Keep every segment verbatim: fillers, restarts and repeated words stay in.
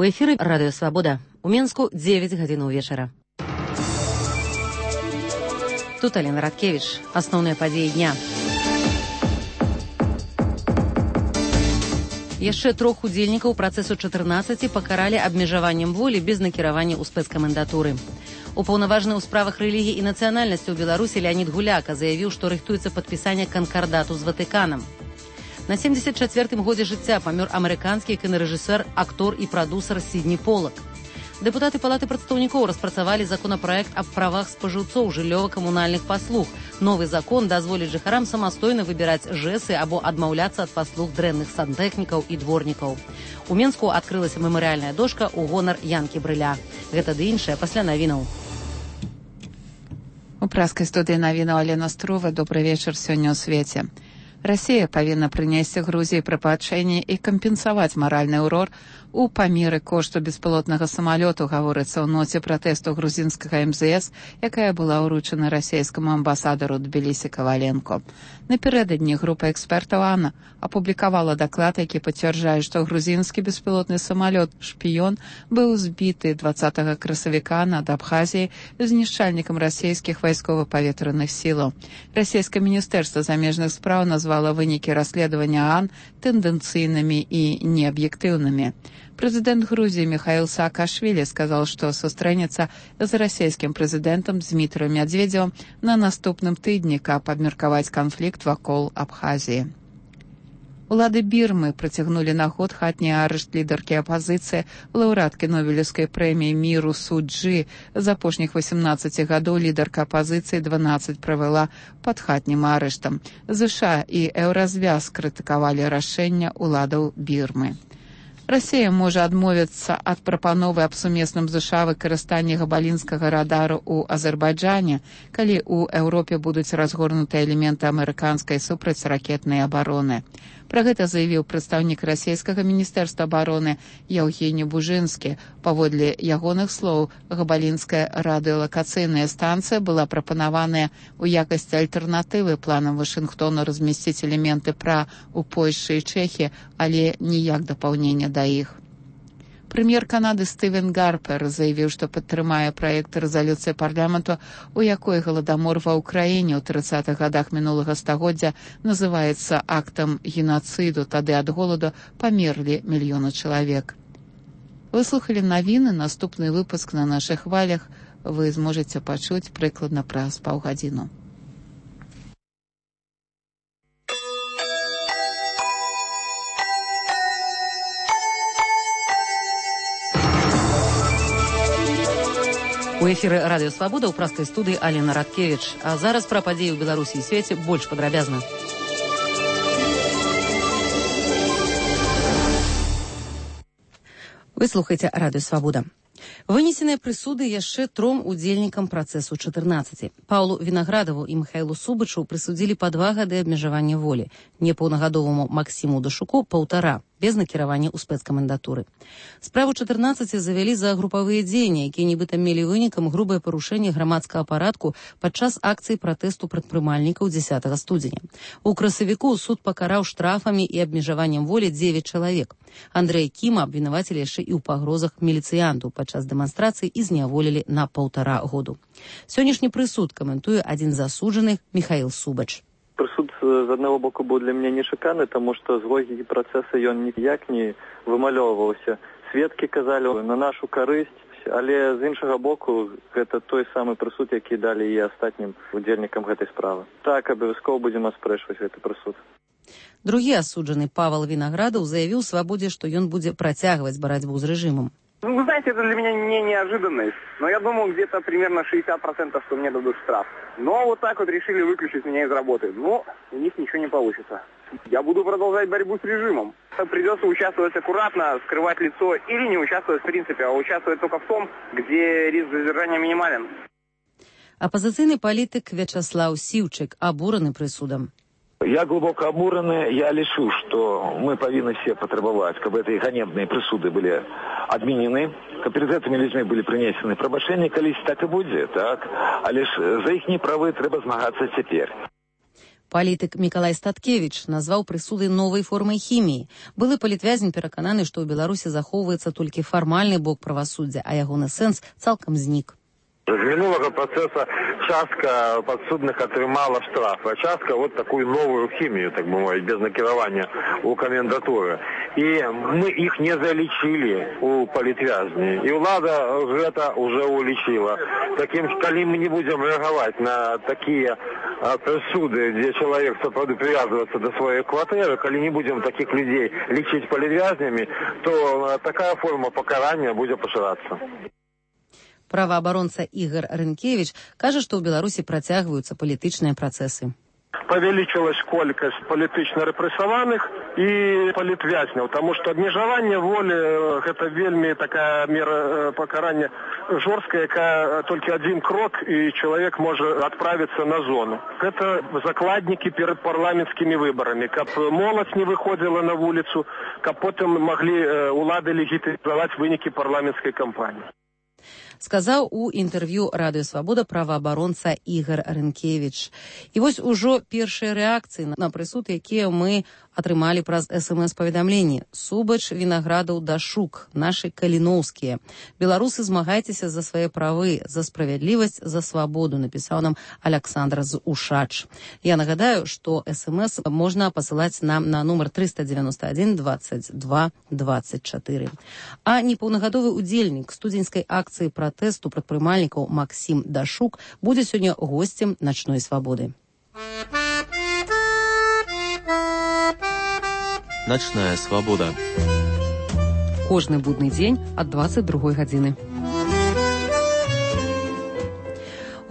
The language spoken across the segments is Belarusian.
У эфіры Радыё Свабода. У Менску дзевяць гадзін вечара. Тут Алена Радкевич. Асноўныя падзеі дня. Яшчэ трох удзельнікаў працэсу чатырнаццаці пакаралі абмежаваннем волі без накіравання ў спецкамендатуры. Упаўнаважаны ў справах рэлігіі і нацыянальнасці ў Беларусі Леанід Гуляка заявіў, што рыхтуецца падпісанне канкардату з Ватыканам. На семдзесят чацвёртым годзе жыцця памёр амерыканскі кінарэжысэр, актор і прадусер Сідні Полак. Дэпутаты Палаты прадстаўнікоў распрацавалі законапраект аб правах спажыўцоў жыллёва-камунальных паслуг. Новы закон дазволіць жыхарам самастойна выбіраць жэсы або адмаўляцца ад паслуг дрэнных сантэхнікаў і дворнікаў. У Менску адкрылася мемарыяльная дошка ў гонар Янкі Брыля. Гэта ды іншае пасля навінаў. У праскай студыі навінаў Алена Струва. Добры вечар сёння ў свеце. Расія павінна прынесці Грузіі прабачэнне і кампенсаваць маральны ўрор у памеры кошту беспілотнага самалёту, гаворыцца ў ноце пратэсту грузінскага эм зэ эс, якая была ўручана расійскаму амбасадару Тбілісі Каваленко. Напярэдадні група экспертаў АНА апублікавала даклад, які пацвярджае, што грузінскі беспілотны самалёт «Шпіён» быў збіты дваццатага красавіка над Абхазіяй знішчальнікам расійскіх вайскова-паветраных сілаў. Расійскае міністэрства замежных спраў назвала вынікі расследавання АН тэндэнцыйнымі і неаб'ектыўнымі. Прэзідэнт Грузіі Михаил Саакашвілі сказал, што сустрэнецца з расійскім прэзідэнтам Дмітрыем Медведзевым на наступным тыдні, каб абмеркаваць канфлікт вакол Абхазіі. Улады Бірмы прыцягнулі на год хатні арышт лідаркі апазіцыі, лаўрэаткі Нобелеўскай прэміі міру Су Чжы. З апошніх васемнаццаці гадоў лідарка апазіцыі дванаццаць правяла пад хатнім арыштам. ЗША і Еўразвяз крытыкавалі рашэнне ўладаў Бірмы. Расія можа адмовіцца ад прапановы аб сумесным ЗША выкарыстанні габалінскага радару ў Азербайджане, калі ў Еўропе будуць разгорнуты элементы амерыканскай супрацьракетнай абароны. Пра гэта заявіў прадстаўнік расійскага міністэрства абароны Яўгені Бужынскі. Паводле ягоных слоў, габалінская радыёлакацыйная станцыя была прапанаваная ў якасці альтэрнатывы планам Вашынгтона размясціць элементы пра ў Польшчы і Чэхіі, але ніяк дапаўнення да іх. Прэм'ер Канады Стывен Гарпер заявіў, што падтрымае праект рэзалюцыі парламенту, у якой галадамор ва ўкраіне ў трыццатых гадах мінулага стагоддзя называецца актам генацыду, тады ад голаду памерлі мільёны чалавек. Вы слухалі навіны, наступны выпуск на нашых хвалях вы зможаце пачуць прыкладна праз паўгадзіну. У эфіры Радыё Свабода ў праскай студыі Алена Радкевич. А зараз пра падзеі ў Беларусі і свеце больш падрабязна. Вы слухаеце Радыё Свабода. Вынесеныя прысуды яшчэ тром удзельнікам працэсу чатырнаццаці. Паўлу Вінаградаву і Михайлу Субачу прысудзілі па два гады абмежавання волі, непаўнагадоваму Максіму Дашуку паўтара, без накіравання ў спецкамендатуры. Справу чатырнаццаці завялі за групавыя дзеянні, якія нібыта мелі вынікам грубае парушэнне грамадскага парадку падчас акцыі пратэсту прадпрымальнікаў дзесятага студзеня. У красавіку суд пакараў штрафамі і абмежаваннем волі дзевяць чалавек. Андрэй Кіма абвінавацілі яшчэ і ў пагрозах міліцыянту падчас дэманстрацыі і зняволілі на паўтара году. Сённяшні прысуд каментуе адзін з засуджаных Михаил Субач. Прысуд з аднаго боку быў для мяне нечаканы, таму што з логікі працэса ён ніяк не вымалёўваўся. Сведкі казалі на нашу карысць, але з іншага боку гэта той самы прысуд, які далі і астатнім удзельнікам гэтай справы. Так, абавязкова будзем аспрэчваць гэты прысуд. Другі асуджаны Павел Виноградов заявіў Свабодзе, што ён будзе працягваць барацьбу з рэжымам. Ну, вы знаете, это для меня не неожиданность, но я думал где-то примерно шестьдесят процентов, что мне дадут штраф. Но вот так вот решили выключить меня из работы. Но у них ничего не получится. Я буду продолжать борьбу с режимом. Придется участвовать аккуратно, скрывать лицо или не участвовать в принципе, а участвовать только в том, где риск задержания минимален. Апозиційний політик Вячеслав Сівчик обурений присудом. Я глубоко обураны, я лишу, что мы повинны все потребовать, чтобы эти ганебные присуды были отменены, чтобы перед этими людьми были принесены пробашения, колись так и будет, так? А лишь за их неправы треба змагаться теперь. Палітык Мікалай Статкевіч назваў прысуды новай формай хіміі. Былы палітвязень перакананы, што ў Беларусі захоўваецца толькі фармальны бок правасуддзя, а ягоны сэнс цалкам знік. З минулого процесса частка подсудных отрымала штраф, а частка вот такую новую химию, так бы мовить, без накирования у комендатуры. И мы их не залечили у политвязней. И влада это уже улечила. Таким, коли мы не будем реагировать на такие а, присуды, где человек сопроводу привязывается до своей квартиры, коли не будем таких людей лечить политвязнями, то а, такая форма покарания будет пошираться. Праваабаронца Ігор Рынкевич кажа, што ў Беларусі працягваюцца палітычныя працэсы. Павялічылась колькасць палітычна рэпрэсаваных і палітвязняў, таму што абмежаванне волі гэта вельмі такая мера пакарання жорсткая, якая толькі адзін крок і чалавек можа адправіцца на зону. Гэта закладнікі перад парламенцкімі выбарамі, каб моладзь не выходзіла на вуліцу, каб потым маглі улады легітымізаваць вынікі парламенцкай кампаніі. Сказаў у інтэрв'ю Радыё Свабода праваабаронца Ігор Рынкевич. І вось ужо першыя рэакцыі на прысуд, якія мы атрымалі праз эс эм эс-паведамленні. Субач, Вінаградаў, Дашук, нашы каліноўскія. Беларусы, змагайцеся за свае правы, за справядлівасць, за свабоду, напісаў нам Аляксандр з Ушач. Я нагадаю, што эс эм эс можна пасылаць нам на нумар трыста дзевяносто адзін двадцать два двадцать чатыры. А непаўнагадовы удзельнік студзеньскай акцыі пратэсту прадпрымальнікаў Максім Дашук будзе сёння госцем начной свабоды. Начная свабода. Кожны будны дзень ад двадцать другой гадзіны.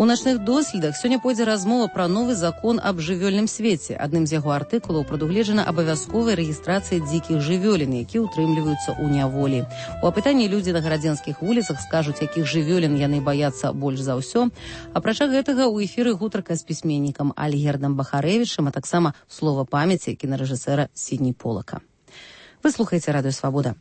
У начных доследах сёння пойдзе размова пра новы закон аб жывёльным свеце. Адным з яго артыкулаў прадугледжана абавязковая рэгістрацыя дзікіх жывёлін, якія ўтрымліваюцца ў няволі. У апытанні людзі на гарадзенскіх вуліцах скажуць, якіх жывёлін яны баяцца больш за ўсё. Апрача гэтага ў эфіры гутарка з пісьменнікам Альгердам Бахарэвічам, а таксама слова памяці кінарэжысэра Сідні Полака. Вы слухаеце Радыё Свабода.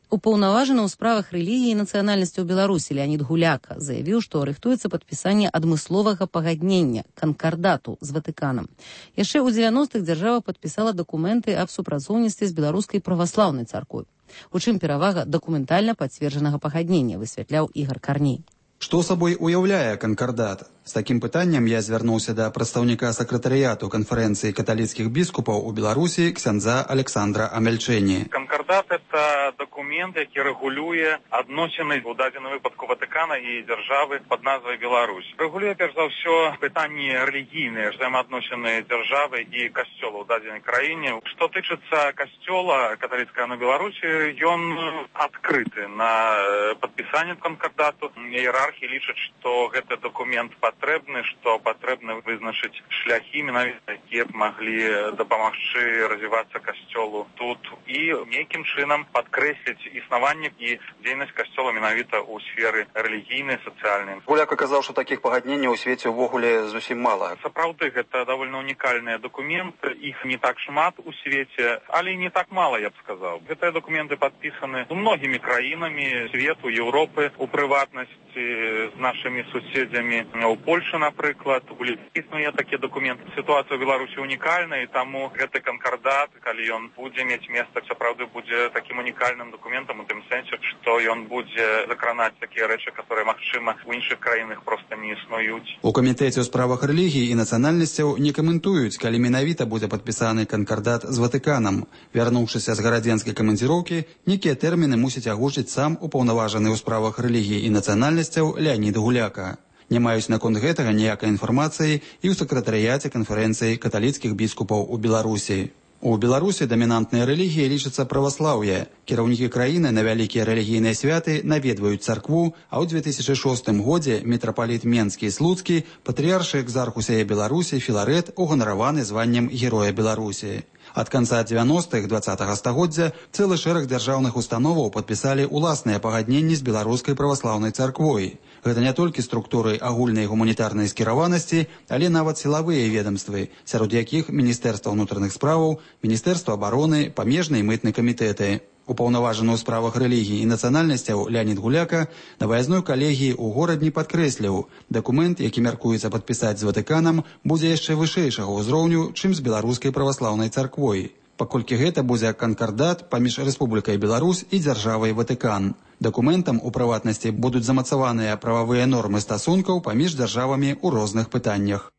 Упаўнаважаны ў справах рэлігіі і нацыянальнасці ў Беларусі Леанід Гуляка заявіў, што рыхтуецца падпісанне адмысловага пагаднення, канкардату з Ватыканам. Яшчэ ў дзевяностых дзяржава падпісала дакументы аб супрацоўніцтве з беларускай праваслаўнай царквой. У чым перавага дакументальна пацверджанага пагаднення, высвятляў Ігор Карней. Што сабой уяўляе канкардат? З такім пытаннем я звярнуўся да прадстаўніка сакратарыяту канферэнцыі каталіцкіх біскупаў у Беларусі ксяндза Александра Амельчэні. Канкардат – это документ, які рэгулюе адносіны у дадзеным выпадку Ватыкана і дзяржавы пад назвай Беларусь. Рэгулюе перш за ўсё пытанні рэлігійныя, взаемаадносіны дзяржавы і касцёла ў дадзенай краіне. Што тычыцца касцёла каталіцкага на Беларусі, ён адкрыты на падпісанне канкардату. Іерархі лічаць, што гэты документ патрэбны, што патрэбна вызначыць шляхі, менавіта якія б маглі дапамагчы развівацца касцёлу тут і нейкім чынам падкрэсліць існаванне і дзейнасць касцёла менавіта ў сферы рэлігійнай, сацыяльнай. Гуляк казаў, што такіх пагадненняў у свеце ўвогуле зусім мала. Сапраўды, гэта давольна унікальныя дакументы, іх не так шмат у свеце, але і не так мала, я б сказаў. Гэтыя дакументы падпісаны з многімі краінамі свету, Еўропы, у прыватнасці з нашымі суседзямі. У Польшы, напрыклад, у Літве існуе такія дакументы. Сітуацыя ў Беларусі унікальная, і таму гэты канкардат, калі ён будзе мець месца, сапраўды будзе такім унікальным дакументам у тым сэнсе, што ён будзе закранаць такія рэчы, которые, магчыма, у іншых краінах проста не існуюць. У камітэце ў справах рэлігіі і нацыянальнасцяў не каментуюць, калі менавіта будзе падпісаны канкардат з Ватыканам. Вярнуўшыся з гарадзенскай камандзіроўкі, некія тэрміны мусіць агучыць сам упаўнаважаны ў справах рэлігіі і нацыянальнасцяў Леанід Гуляка. Не маюць наконт гэтага ніякай інфармацыі і ў сакратарыяце канферэнцыі каталіцкіх біскупаў у Беларусі. У Беларусі дамінантныя рэлігіі лічацца праваслаўе. Кіраўнікі краіны на вялікія рэлігійныя святы наведваюць царкву, а ў две тысячы шостым годзе мітрапаліт Менскі і Слуцкі, патрыяршы экзарх усяе Беларусі Філарэт уганараваны званнем Героя Беларусі. Ад канца дзевяностых двадцатага стагоддзя цэлы шэраг дзяржаўных установаў падпісалі ўласныя пагадненні з беларускай праваслаўнай царквой. Гэта не толькі структуры агульнай гуманітарнай скіраванасці, але нават сілавыя ведомствы, сярод якіх Міністэрства ўнутраных справаў, Міністэрства абароны, памежны і мытны камітэты. Упаўнаважаны ў справах рэлігій і нацыянальнасцяў Леонид Гуляка на выязной калегіі ў горадні падкрэсліў, дакумент, які мяркуецца падпісаць з Ватыканам, будзе яшчэ вышэйшага ўзроўню, чым з беларускай праваслаўнай царквой, паколькі гэта будзе канкардат паміж Рэспублікай Беларусь і дзяржавай Ватыкан. Дакументам у прыватнасці будуць замацаваныя прававыя нормы стасункаў паміж дзяржавамі ў розных пытаннях.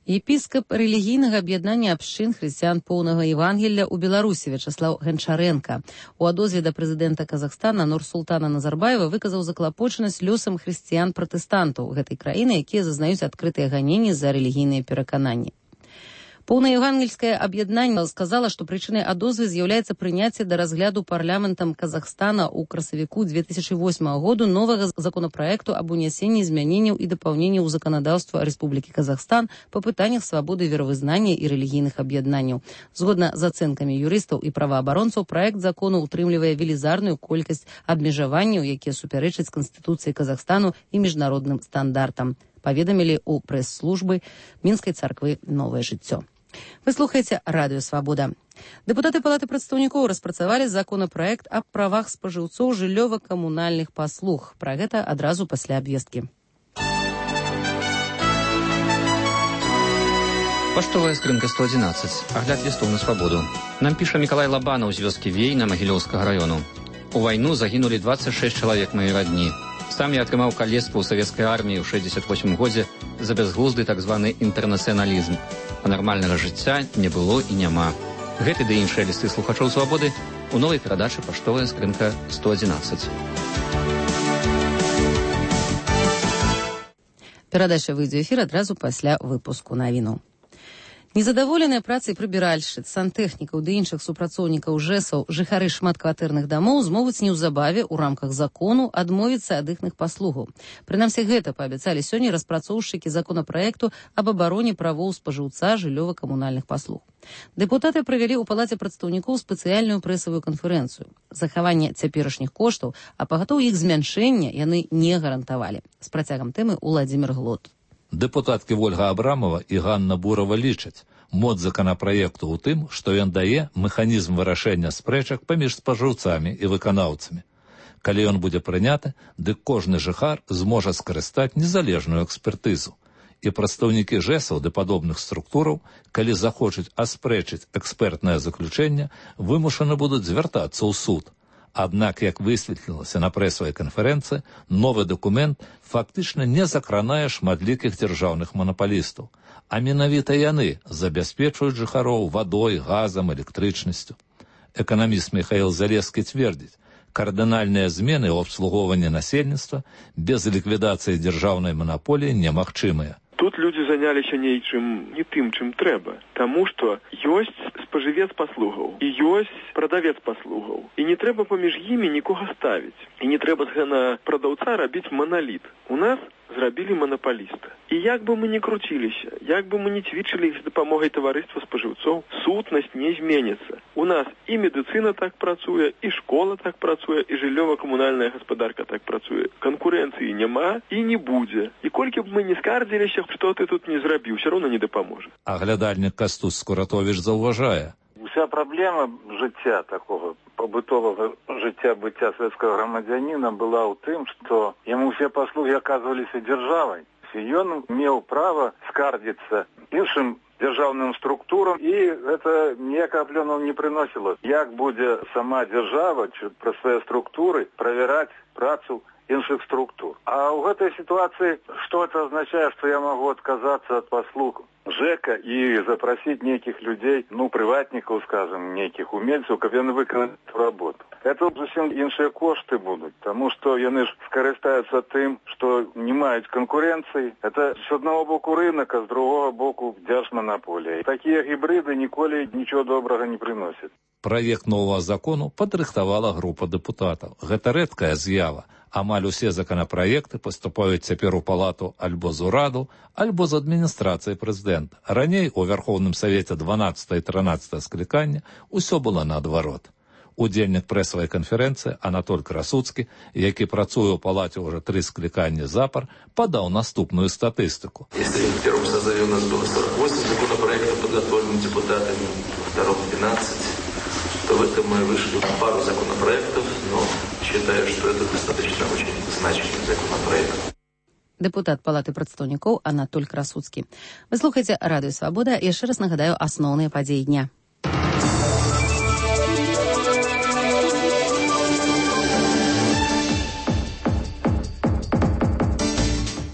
Епіскап рэлігійнага аб'яднання абшчын хрысціян поўнага Евангелля ў Беларусі Вячаслаў Гончаренко у адозве да прэзідэнта Казахстана Нурсултана Назарбаева выказаў заклапочанасць лёсам хрысціян-пратэстантаў гэтай краіны, якія зазнаюць адкрытыя ганенні за рэлігійныя перакананні. Поўнаевангельскае аб'яднанне сказала, што прычынай адозвы з'яўляецца прыняцце да разгляду парламентам Казахстана ў красавіку две тысячи восьмага году новага законапраекту аб унясенні змяненняў і дапаўненняў у заканадаўства Рэспублікі Казахстан па пытаннях свабоды веравызнання і рэлігійных аб'яднанняў. Згодна з ацэнкамі юрыстаў і праваабаронцаў, праект закону ўтрымлівае велізарную колькасць абмежаванняў, якія супярэчаць Канстытуцыі Казахстану і міжнародным стандартам, паведамілі ў прэс-службы Мінскай царквы «Новае жыццё». Вы слухаеце Радыё Свабода. Дэпутаты Палаты прадстаўнікоў распрацавалі законапраект аб правах спажыўцоў жыллёва-камунальных паслуг. Пра гэта адразу пасля абвесткі. Паштовая скрынка сто одиннадцать. Агляд лістоў на свабоду. Нам піша Мікалай Лабанаў з вёскі Вейна Магілёўскага раёну. У вайну загінулі двадцать шесть чалавек маёй радні. Сам я атрымаў калецтва ў савецкай арміі ў шэсцьдзесят восьмым годзе за бязглузды так званы інтэрнацыяналізм. А нармальнага жыцця не было і няма. Гэты ды іншыя лісты слухачоў свабоды у новай перадачы «Паштовая скрынка сто одиннадцать». Перадача выйдзе ў эфір адразу пасля выпуску навіну. Незадаволеныя працай прыбіральшчыц, сантэхнікаў ды іншых супрацоўнікаў жэсаў жыхары шматкватэрных дамоў змогуць неўзабаве ў рамках закону адмовіцца ад іхных паслугаў. Прынамсі гэта паабяцалі сёння распрацоўшчыкі законапраекту аб абароне правоў спажыўца жыллёва-камунальных паслуг. Дэпутаты правялі ў Палаце прадстаўнікоў спецыяльную прэсавую канферэнцыю. Захаванне цяперашніх коштаў, а пагатоў іх змяншэння яны не гарантавалі. З працягам тэмы Уладзімір Глот. Дэпутаткі Вольга Абрамова і Ганна Бурова лічаць, моц законапраекту ў тым, што ён дае механізм вырашэння спрэчак паміж спажыўцамі і выканаўцамі. Калі ён будзе прыняты, дык кожны жыхар зможа скарыстаць незалежную экспертызу. І прадстаўнікі жэсаў ды падобных структураў, калі захочуць аспрэчыць экспертнае заключэнне, вымушаны будуць звяртацца ў суд. Аднак, як высветлілася на прэсавай канферэнцыі, новы дакумент фактычна не закранае шматлікіх дзяржаўных манапалістаў, а менавіта яны забяспечваюць жыхароў вадой, газам, электрычнасцю. Эканаміст Михаил Залескі цвердзіць, кардынальныя змены ў абслугоўванні насельніцтва без ліквідацыі дзяржаўнай манаполіі немагчымыя. Тут людзі заняліся нейчым не тым, чым трэба, таму што ёсць спажывец паслугаў і ёсць прадавец паслугаў. І не трэба паміж імі нікога ставіць. І не трэба з гэна прадаўца рабіць маналіт. У нас зрабілі манапаліста. І як бы мы не круціліся, як бы мы не цвічылі з дапамогай таварыства спажыўцоў, сутнасць не зменіцца. У нас і медыцына так працуе, і школа так працуе, і жыллёва-камунальная гаспадарка так працуе. Канкурэнцыі няма і не будзе. І колькі б мы не скардзіліся, што ты тут не зрабіў, ўсё роўна не дапаможа. Аглядальнік Кастусь Скуратовіч заўважае. Уся праблема жыцця такого побытовага жыцця быцця савецкага грамадзяніна была ў тым, што яму ўсе паслугі аказваліся дзяржавай. Ён меў права скардзіцца іншым дзяржаўным структурам, і гэта ніякага плёну не прыносіла. Як будзе сама дзяржава праз свае структуры правяраць працу іншых структур. А ў гэтай сітуацыі што это азначае, што я магу адказацца ад паслуг ЖЭКа і запрасіць нейкіх людзей, ну, прыватнікаў, скажем, нейкіх умельцаў, каб яны выканалі работу. Это зусім іншыя кошты будуць, таму што яны ж скарыстаюцца тым, што не маюць канкурэнцыі. Это з аднаго боку рынак, а з другога боку дзяржманаполія. Такія гібрыды ніколі нічого добрага не прыносяць. Праект новага закону падрыхтавала група дэпутатаў. Гэта рэдкая з'ява. Амаль усе законапраекты паступаюць цяпер у палату альбо з ураду, альбо з адміністрацыі прэзідэнта. Раней у Вярхоўным Савеце дванаццатае і трынаццатае склікання ўсё было наадварот. Удзельнік прэсавай канферэнцыі Анатоль Красуцкі, які працуе ў палаце ўжо тры скліканні запар, падаў наступную статыстыку. Если в первом созыве у нас было сорок восемь законопроектов, подготовленных депутатами, во втором двенадцать, то В этом мы вышли пару законопроектов, но считаю, что это достаточно очень значимый законопроект. Дэпутат Палаты прадстаўнікоў Анатоль Красуцкі. Вы слухаеце Радыё Свабода. Яшчэ раз нагадаю асноўныя падзеі дня.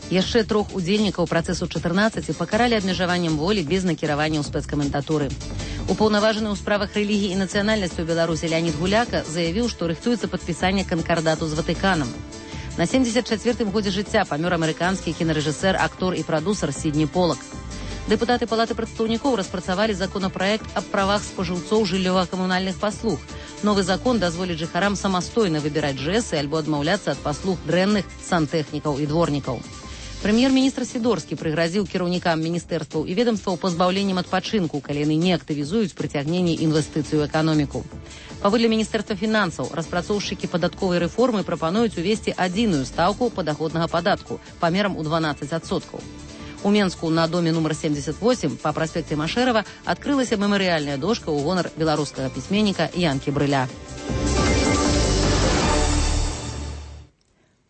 Яшчэ трох удзельнікаў працэсу чатырнаццаць пакаралі абмежаваннем волі без накіравання ў спецкаментатуры. Упаўнаважаны ў справах рэлігіі і нацыянальнасці ў Беларусі Леонид Гуляка заявіў, што рыхтуецца падпісанне канкардату з Ватыканам. На семьдесят чацвёртым годзе жыцця памёр амерыканскі кінарэжысэр, актор і прадусар Сідні Полак. Дэпутаты Палаты прадстаўнікоў распрацавалі законапраект аб правах спажыўцоў жыллёва-камунальных паслуг. Новы закон дазволіць жыхарам самастойна выбіраць жэсы альбо адмаўляцца ад паслуг дрэнных сантэхнікаў і дворнікаў. Прэм'ер-міністр Сідорскі прыгразіў кіраўнікам міністэрстваў і ведомстваў пазбаўленнем адпачынку, калі яны не актывізуюць прыцягненне інвестыцый у эканоміку. Паводле міністэрства фінансаў, распрацоўшчыкі падатковай рэформы прапануюць увесці адзіную стаўку падаходнага падатку памерам у дванаццаць адсоткаў. У Менску на доме нумар семьдесят восемь па праспекце Машэрава адкрылася мемарыяльная дошка ў гонар беларускага пісьменніка Янкі Брыля.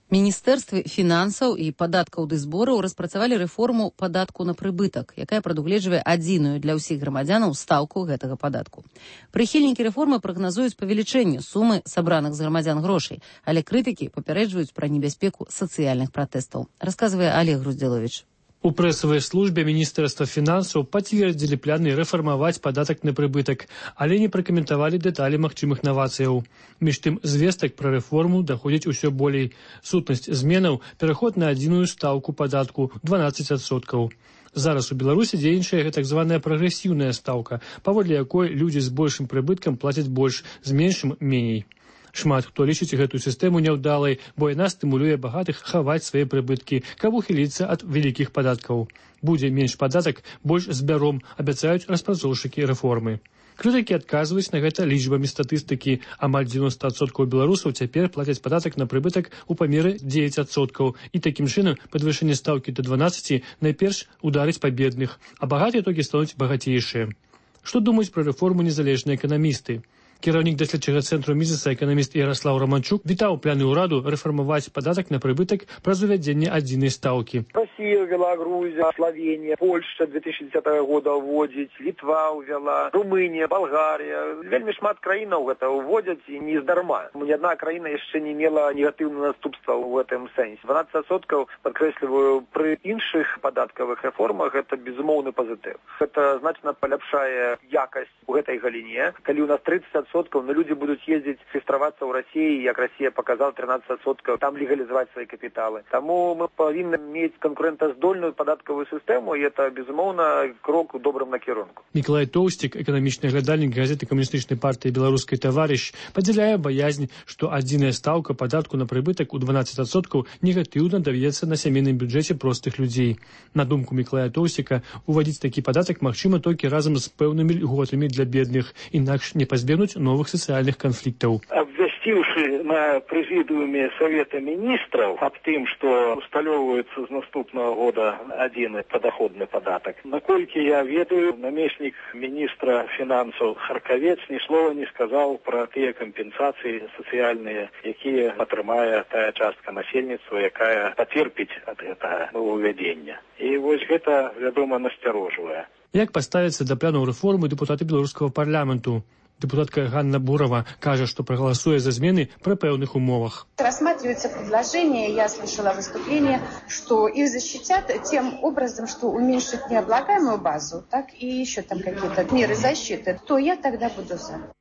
Міністэрствы фінансаў і падаткаў ды збораў распрацавалі рэформу падатку на прыбытак, якая прадугледжвае адзіную для ўсіх грамадзянаў стаўку гэтага падатку. Прыхільнікі рэформы прагназуюць павелічэнне сумы сабраных з грамадзян грошай, але крытыкі папярэджваюць пра небяспеку сацыяльных пратэстаў. Расказвае Олег Груздзіловіч. У прэсавай службе міністэрства фінансаў пацвердзілі планы рэфармаваць падатак на прыбытак, але не пракаментавалі дэталі магчымых навацыяў. Між тым, звестак пра рэформу даходзіць усё болей. Сутнасць зменаў – пераход на адзіную стаўку падатку дванаццаць адсоткаў. Зараз у Беларусі дзейнічае так званая прагрэсіўная стаўка, паводле якой людзі з большым прыбыткам плацяць больш, з меншым – меней. Шмат хто лічыць гэтую сістэму няўдалай, бо яна стымулюе багатых хаваць свае прыбыткі, каб ухіліцца ад вялікіх падаткаў. Будзе менш падатак, больш збяром, абяцаюць распрацоўшчыкі рэформы. Крытыкі адказваюць на гэта лічбамі статыстыкі. Амаль дзевяносто адсоткаў беларусаў цяпер плацяць падатак на прыбытак у памеры дзевяць адсоткаў. І такім чынам падвышэнне стаўкі да дванаццаці найперш ударыць па бедных, а багатыя толькі стануць багацейшыя. Што думаюць пра рэформу незалежныя эканамісты? Кіраўнік даследчага цэнтру Мізеса эканаміст Яраслаў Романчук вітаў планы ўраду рэфармаваць падатак на прыбытак праз увядзенне адзінай стаўкі. Россия ввела, Грузия, Словения, Польша две тысячи десятого года вводить, Литва увела, Румыния, Болгария. Вельмі шмат краінаў гэта уводят и не здарма. Ни одна краіна яшчэ не мела негатыўных наступстваў в этом сэнсе. дванаццаць адсоткаў, падкрэсліваю, пры іншых падаткавых рэформах это безумоўны пазітыў. Это значна паляпшае якасць у гэтай галіне. Калі у нас тридцать адсоткаў, но люди будут ездить, регистрироваться в России, как Россия показала, тринадцать адсоткаў, там легализовать свои капиталы. Тому мы повинны иметь конкурентоздольную податковую систему, и это, безумовно, крок у добрым накірунку. Миколай Тоўстик, экономічны глядальнік газеты Камуністычнай партии «Белорусский товарищ», падзяляе баязнь, что адзіная стаўка падатку на прыбытак у дванаццаць адсоткаў негатыўна даведзецца на сямейным бюджэце простых людзей. На думку Миколая Тоўстика, уводзіць такі падатак магчыма толькі разам з пэўнымі льготамі для бедных, інакш не пазбегнуць новых социальных конфликтов. Обвестивши на президиуме Совета министров об тем, что усталевывается с наступного года один подоходный податок, накольки я ведаю, наместник министра финансов Харковец ни слова не сказал про те компенсации социальные, какие отрымає та частка насельніцтва, якая потерпить от этого нововведения. И вот это, вядома, настороживает. Як поставиться до планов реформы депутаты белорусского парламенту? Депутатка Ганна Бурова кажа, что проголосует за змены при певных умовах. Рассматривается предложение, я слышала выступление, что их защитят тем образом, что уменьшат необлагаемую базу, так и еще там какие-то меры защиты. То я тогда буду за.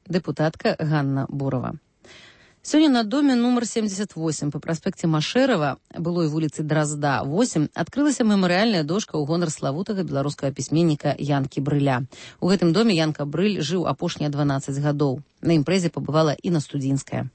Депутатка Ганна Бурова. Сёння на доме нумар семьдесят восемь па праспекце Машэрава, былой вуліцы Дразда, восемь, адкрылася мемарыяльная дошка ў гонар славутага беларускага пісьменніка Янкі Брыля. У гэтым доме Янка Брыль жыў апошнія дванаццаць гадоў. На імпрэзе пабывала Інна Студзінская.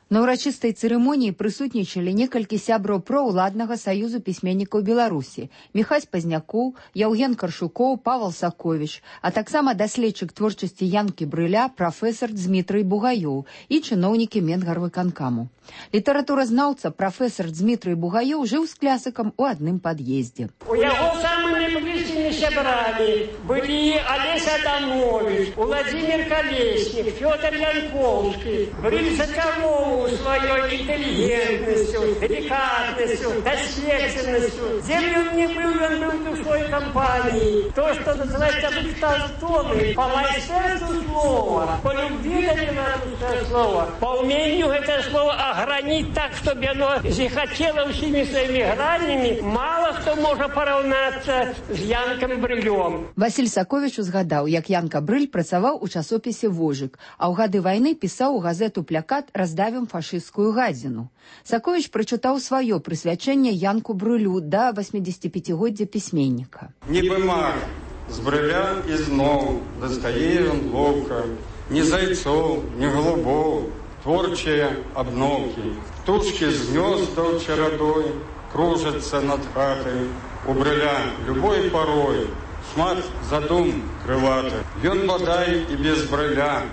На ўрачыстай цырымоніі прысутнічалі некалькі сябраў проўладнага саюзу пісьменнікаў Беларусі: Міхась Пазнякоў, Яўген Каршукоў, Павел Саковіч, а таксама даследчык творчасці Янкі Брыля прафесар Дзмітрый Бугаёў і чыноўнікі Менгарвыканкаму. Літаратуразнаўца прафесар Дзмітрый Бугаёў жыў з клясыкам у адным пад'ездзе. У яго самы найбліжшы моими сябрами были Олесь Адамович, Владимир Колесник, Федор Янковский. Брыль зачаровывал своей интеллигентностью, деликатностью, досветственностью. Землю мне был, он был душой компании. То, что называется Толстоны, по мастерству слова, по любви до белорусского слова, по умению это слово огранить так, чтобы оно захотело всеми своими гранями, мало кто может поравняться с Янком Брылем. Василь Сакович узгадаў, як Янка Брыль працаваў у часопісе «Вожык», а ў гады вайны пісаў у газету «Плякат» «Раздавім фашысцкую гадзіну». Сакович прачытаў сваё прысвячэнне Янку Брылю да восьмидесятипятигоддзя пісьменніка. Нібы мар, з Брыля ізноў дастае ён ловка, ні зайцоў, ні голубоў, творчыя абноўкі. Птушкі з гнёздаў чарадой кружацца над хатай. У Брыля любой парой шмат задум крылаты. Ён бадай і без Брыля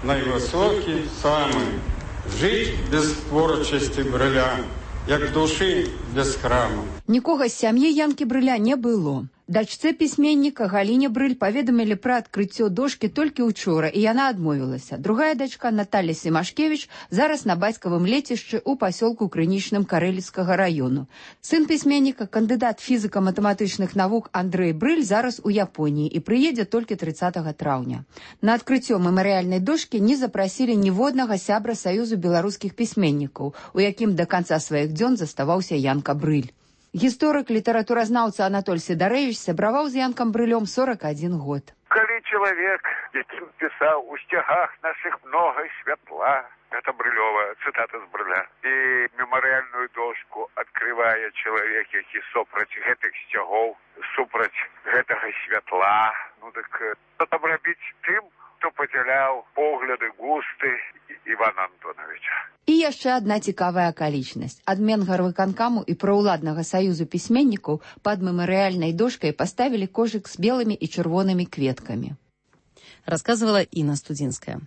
найвысокі самы. Жыць без творчасці Брыля, як душы без храму. Нікога з сям'і Янкі Брыля не было. Дачцэ пісьменніка Галіне Брыль паведамілі пра адкрыццё дошкі толькі ўчора, і яна адмовілася. Другая дачка, Наталья Семашкевич, зараз на бацькавым лецішчы ў пасёлку Крынічным Карэліцкага раёну. Сын пісьменніка, кандыдат фізіка-матэматычных навук Андрэй Брыль зараз у Японіі і прыедзе толькі трыццатага траўня. На адкрыццё мемарыяльнай дошкі не запрасілі ніводнага сябра Саюзу беларускіх пісьменнікаў, у якім да канца сваіх дзён заставаўся Янка Брыль. Гісторык, літаратуразнаўца Анатоль Сідарэвіч сябраваў з Янкам Брылём сорок один год. Калі чалавек, якім пісаў «У сцягах нашых многа святла», это Брылёва, цытата з Брыля, і мемарыяльную дошку адкрывае чалавек, які супраць гэтых сцягоў, супраць гэтага святла. Ну так што там рабіць тым, хто падзяляў погляды, густы Івана Антоновича. І яшчэ адна цікавая акалічнасць. Адмен гарвыканкаму і праўладнага саюзу пісьменнікаў пад мемарыяльнай дошкай паставілі кожык з белымі і чырвонымі кветкамі. Расказвала Інна Студзінская.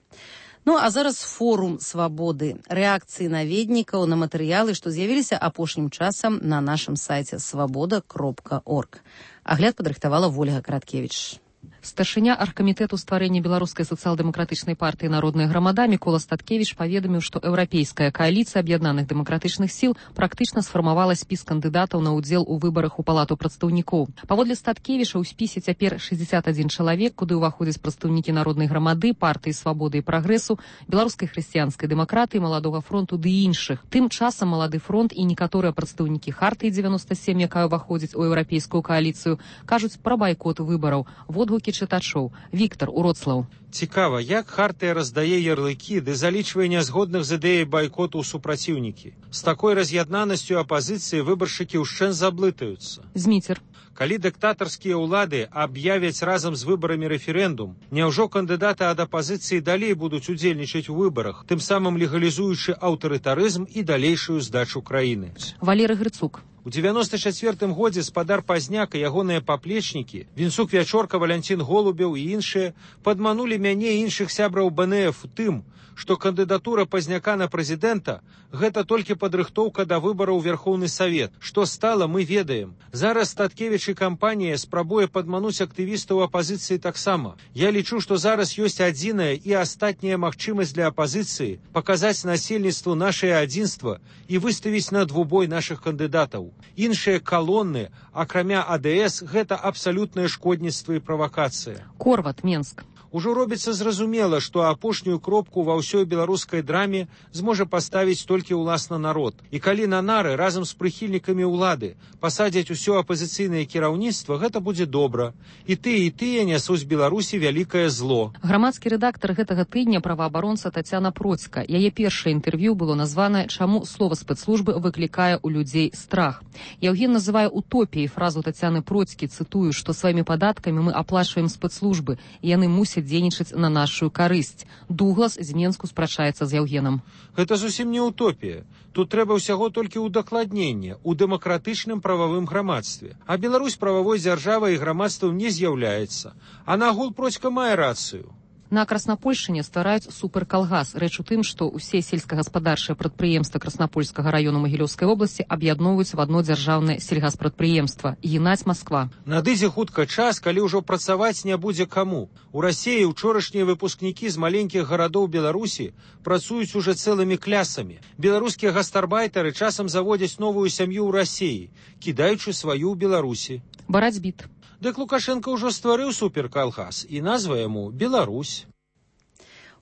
Ну, а зараз форум свабоды. Рэакцыі наведнікаў на матэрыялы, што з'явіліся апошнім часам на нашым сайце свабода кропка орг. Агляд падрыхтавала Вольга Караткевіч. Старшыня аргкамітэту стварэння беларускай сацыял-дэмакратычнай партыі «Народная грамада» Мікола Статкевіч паведаміў, што еўрапейская кааліцыя аб'яднаных дэмакратычных сіл практычна сфармавала спіс кандыдатаў на ўдзел у выбарах у палату прадстаўнікоў. Паводле Статкевіча ў спісе цяпер шэсцьдзесят адзін чалавек, куды ўваходзяць прадстаўнікі Народнай грамады, партыі свабоды і прагрэсу, беларускай хрысціянскай дэмакратыі, маладога фронту ды іншых. Тым часам малады фронт і некаторыя прадстаўнікі хартыі дзевяноста сем, якая ўваходзіць у еўрапейскую кааліцыю, кажуць пра байкот выбараў. Водгукі чытачоў. Віктор Уроцлаў. Цікава, як хартыя раздае ярлыкі ды залічвае нязгодных з ідэяй байкоту ў супраціўнікі. З такой раз'яднанасцю апазіцыі выбаршчыкі ўшчэнт заблытаюцца. Зміцер. Калі дыктатарскія ўлады аб'явяць разам з выбарамі рэферэндум, няўжо кандыдаты ад апазіцыі далей будуць удзельнічаць у выбарах, тым самым легалізуючы аўтарытарызм і далейшую здачу краіны? Валерый Грыцук. У девяносто чацвёртым годзе спадар Пазняк і ягоныя паплечнікі, Вінцук Вячорка, Валянцін Голубеў і іншыя падманулі мяне і іншых сябраў бэ эн эф тым, што кандыдатура Пазняка на прэзідэнта – гэта толькі падрыхтоўка да выбараў у Верхоўны Савет. Што стала, мы ведаем. Зараз Статкевіч і кампанія спрабуе падмануць актывістаў апазіцыі таксама. Я лічу, што зараз ёсць адзіная і астатняя магчымасць для апазіцыі паказаць насельніцтву нашае адзінства і выставіць на двубой нашых кандыдатаў. Іншыя калоны, акрамя а дэ эс, гэта абсалютнае шкодніцтва і правакацыя. Корват, Менск. Ужо робіцца зразумела, што апошнюю кропку ва ўсёй беларускай драме зможа паставіць толькі ўласна народ. І калі на нары разам з прыхільнікамі ўлады пасадзяць усё апазіцыйнае кіраўніцтва, гэта будзе добра. І тыя, і тыя нясуць Беларусі вялікае зло. Грамадскі рэдактар гэтага тыдня праваабаронца Тацяна Процька. Яе першае інтэрв'ю было названае «Чаму слова спецслужбы выклікае ў людзей страх». Яўген называе утопіяй фразу Тацяны Процькі, цытую, што сваімі падаткамі мы аплачваем спецслужбы, і яны мусяць дзейнічаць на нашу карысць. Дуглас з Менску спрачаецца з Яўгенам. Гэта зусім не утопія. Тут трэба ўсяго толькі ўдакладнення ў дэмакратычным прававым грамадстве. А Беларусь прававой дзяржавай і грамадствам не з'яўляецца. А нагул Процька мае рацыю. На Краснапольшчыне ствараюць суперкалгас. Рэч у тым, што ўсе сельскагаспадарчыя прадпрыемствы Краснапольскага раёну Магілёўскай вобласці аб'ядноўваюць в адно дзяржаўнае сельгаспрадпрыемства «Генаць Москва». Надыдзе хутка час, калі ўжо працаваць не будзе каму. У Расіі учорашнія выпускнікі з маленькіх гарадоў Беларусі працуюць уже цэлымі клясамі. Беларускія гастарбайтары часам заводзяць новую сям'ю ў Расіі, кідаючы сваю ў Беларусі. Барацьбіт. Дык Лукашенко ўжо стварыў суперкалгас, і назва яму «Беларусь».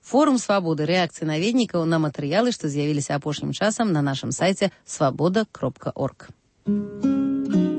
Форум свабоды рэакцыі наведнікаў на матэрыялы, што з'явіліся апошнім часам на нашым сайце свабода кропка орг.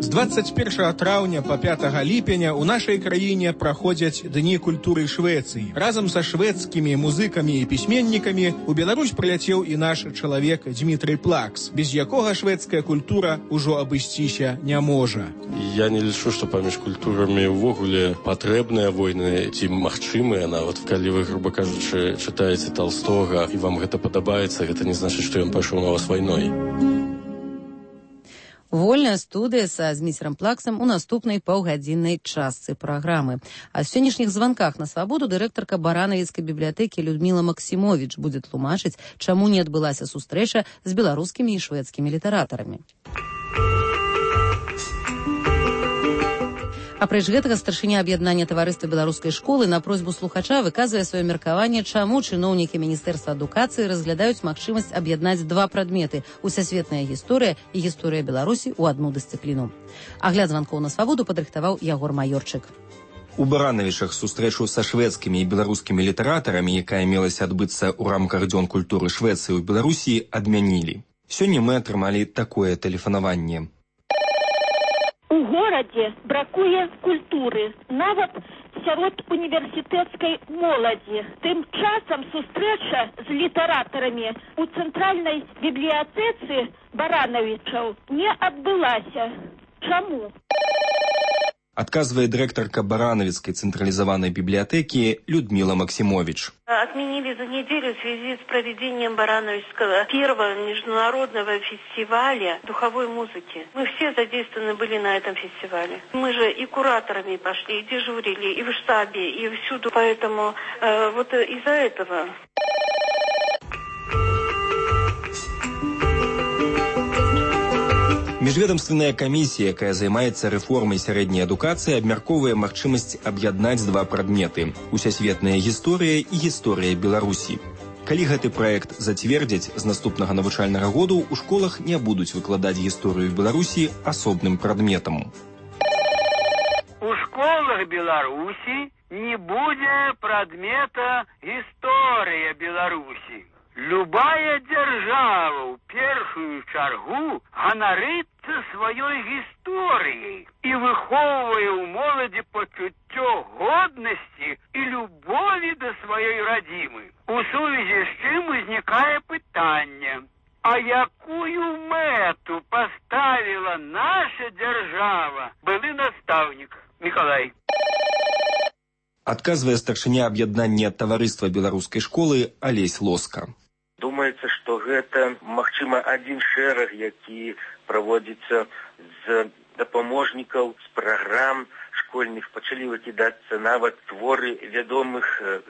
З двадцать первого траўня по пятого ліпеня у нашай краіне праходзяць Дні культуры Швецыі. Разам са шведскімі музыкамі і пісьменнікамі у Беларусь прыляцеў і наш чалавек Дмітрый Плакс, без якога шведская культура ўжо абысціся не можа. Я не лічу, што паміж культурамі ўвогуле патрэбныя войны ці магчымыя, нават калі вы, груба кажучы, чытаеце Толстога і вам гэта падабаецца, гэта не значыць, што ён пайшоў на вас вайной. Вольная студыя са Зміцерам Плаксам у наступнай паўгадзіннай частцы праграмы. А з сённяшніх званках на свабоду дырэктарка Баранавіцкай бібліятэкі Людміла Максімовіч будзе тлумачыць, чаму не адбылася сустрэча з беларускімі і шведскімі літаратарамі. Апрэч гэтага старшыня аб'яднання таварыства беларускай школы на просьбу слухача выказвае сваё меркаванне, чаму чыноўнікі міністэрства адукацыі разглядаюць магчымасць аб'яднаць два прадметы – усасветная гісторыя і гісторыя Беларусі ў адну дысцыпліну. Агляд званкоў на свабоду падрыхтаваў Ягор Маёрчык. У Баранавічах сустрэчу са шведскімі і беларускімі літаратарамі, якая мелася адбыцца ў рамках Дзён культуры Швецыі ў Беларусі, адмянілі. Сёння мы атрымалі такое тэлефанаванне. У горадзе бракуе культуры, нават сярод універсітэцкай моладзі. Тым часам сустрэча з літаратарамі у цэнтральнай бібліятэцы Баранавічаў не адбылася. Чаму? Адказвае дырэктарка Баранавіцкай цэнтралізаванай бібліятэкі Людмила Максимович. Отменили за неделю в связи с проведением Барановичского первого международного фестиваля духовой музыки. Мы все задействованы были на этом фестивале. Мы же и кураторами пошли, и дежурили, и в штабе, и всюду. Поэтому э, вот из-за этого... Міжведомственная камісія, якая займаецца рэформай сярэдняй адукацыі, абмяркоўвае магчымасць аб'яднаць два прадметы – усасветная гісторыя і гісторыя Беларусі. Калі гэты праект зацвердзяць, з наступнага навучальнага году ў школах не будуць выкладаць гісторыю Беларусі асобным прадметам. У школах Беларусі не будзе прадмета гісторыя Беларусі. Любая дзяржава ў першую чаргу ганарыцца сваёй гісторыяй і выхоўвае ў моладзі пачуццё годнасці і любові да сваёй радзімы. У сувязі з чым узнікае пытанне: а якую мэту паставіла наша дзяржава? Былы настаўнік Мікалай. Адказвае старшыня аб'яднання таварыства беларускай школы Алесь Лоска. Думаецца, што гэта, магчыма, адзін шэраг, які праводзіцца з дапаможнікаў, з праграм школьных. Пачалі выкідацца нават творы вядомых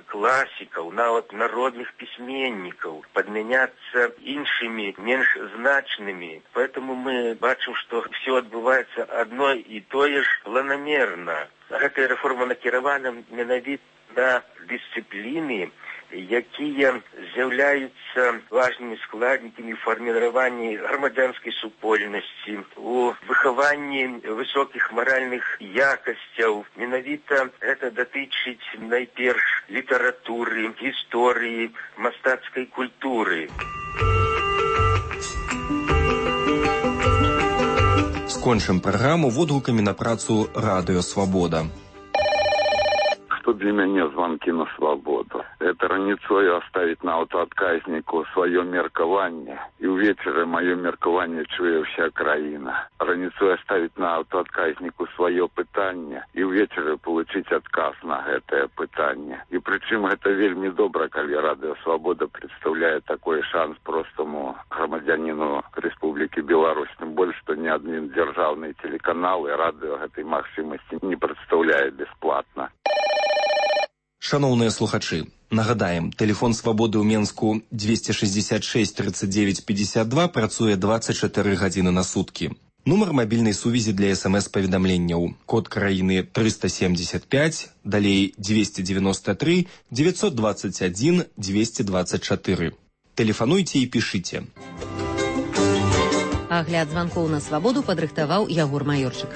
класікаў, нават народных пісьменнікаў, падмяняцца іншымі, менш значнымі. Поэтому мы бачым, што все адбываецца адно і тое ж планамерна. Гэтая рэформа накіравана менавіта на дысцыпліны, якія з'яўляюцца важнымі складнікамі фарміравання грамадзянскай супольнасці, у выхаванні высокіх маральных якасцяў. Менавіта гэта датычыць найперш літаратуры, гісторыі, мастацкай культуры. Скончым праграму водгукамі на працу «Радыё Свабода». Что для меня звонки на свободу? Это раніцою оставить на аўтаадказніку свое меркаванне. И увечары мое меркаванне чуе вся краіна. Раніцою оставить на аўтаадказніку свое пытанне. И увечары получить отказ на гэтае пытанне. И причым это вельмі добра, калі Радыё Свобода представляет такой шанс простому грамадзянину Республики Беларусь. Тем более, что ни один державный телеканал и радио этой магчымасці не представляет бесплатно. Шановные слухачи, нагадаем, телефон свободы у Менску двести шестьдесят шесть тридцать девять пятьдесят два працуе двадцать четыре гадзіны на сутки. Нумар мобильной сувязі для смс-паведамленняў. Код краіны триста семьдесят пять, далей двести девяносто три девятьсот двадцать один двести двадцать четыре. Телефонуйте и пишите. Агляд званкоў на свабоду падрыхтаваў Ягор Маёрчык.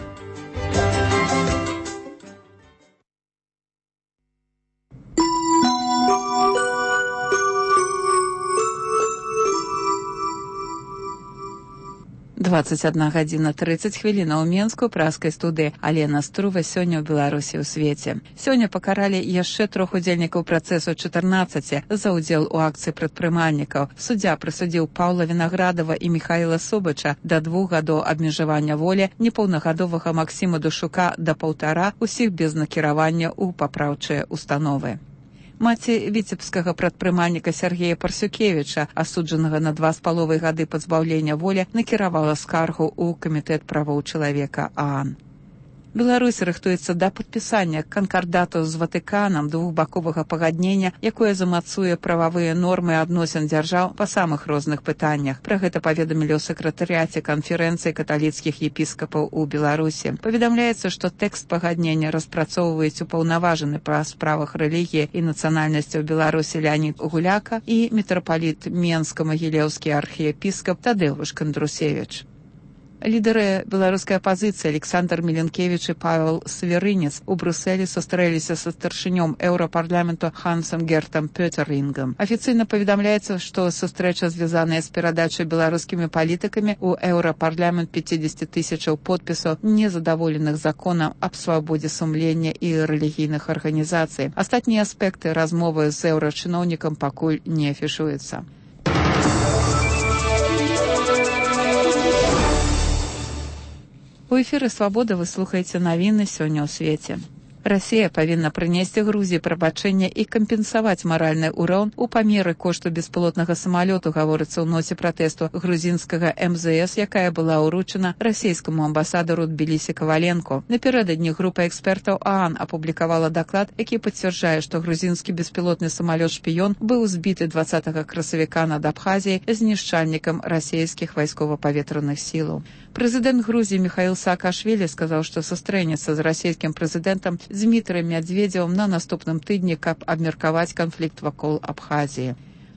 двадцать одна гадзіна тридцать хвілін у Менску праскай студыі Алена Струва сёння ў Беларусі ў свеце. Сёння пакаралі яшчэ трох удзельнікаў працэсу чатырнаццаці за ўдзел у акцыі прадпрымальнікаў. Суддзя прысудзіў Паўла Вінаградава і Міхаіла Субача да двух гадоў абмежавання волі, непаўнагадовага Максіма Душука да паўтара, усіх без накіравання ў папраўчыя установы. Маці віцебскага прадпрымальніка Сергея Парсюкевіча, асуджанага на два з паловай гады пазбаўлення волі, накіравала скаргу ў камітэт правоў чалавека ААН. Беларусь рыхтуецца да падпісання канкардату з Ватыканам двухбаковага пагаднення, якое замацуе прававыя нормы адносін дзяржаў па самых розных пытаннях. Пра гэта паведамілі ў сакратарыяце канферэнцыі каталіцкіх епіскапаў у Беларусі. Паведамляецца, што тэкст пагаднення распрацоўваюць упаўнаважаны па справах рэлігіі і нацыянальнасці ў Беларусі Леонід Гуляка і мітрапаліт Менска-Магілеўскі архіепіскап Тадеуш Кандрусевіч. Лідары беларускай апазіцыі Александр Міленкевіч і Павел Сверынец у Брюсселі сустрэліся са старшынём еўрапарламенту Хансам Гертам Пётерінгам. Афіцыйна паведамляецца, што сустрэча звязаная з перадачай беларускімі палітыкамі ў еўрапарламент пятьдесят тысячаў подпісаў незадаволеных законам аб свабодзе сумлення і рэлігійных арганізацый. Астатнія аспекты размовы з еўрачыноўнікам пакуль не афішуюцца. У эфіры «Свабода» вы слухаеце навіны сёння ў свеце. Расія павінна прынесці Грузіі прабачэнне і кампенсаваць маральны ўрон у памеры кошту беспілотнага самалёту, гаворыцца ў ноце пратэсту грузінскага эм зэ эс, якая была ўручана расійскаму амбасадару Тбілісі Каваленко. Напярэдадні група экспертаў ААН апублікавала даклад, які пацвярджае, што грузінскі беспілотны самалёт-шпіён быў збіты дваццатага красавіка над Абхазіяй знішчальнікам расійскіх вайскова-паветраных сілаў. Прэзідэнт Грузіі Міхаіл Саакашвілі сказаў, што сустрэнецца з расійскім прэзідэнтам Дмітрыем Мядзведзевым на наступным тыдні, каб абмеркаваць канфлікт вакол Абхазіі.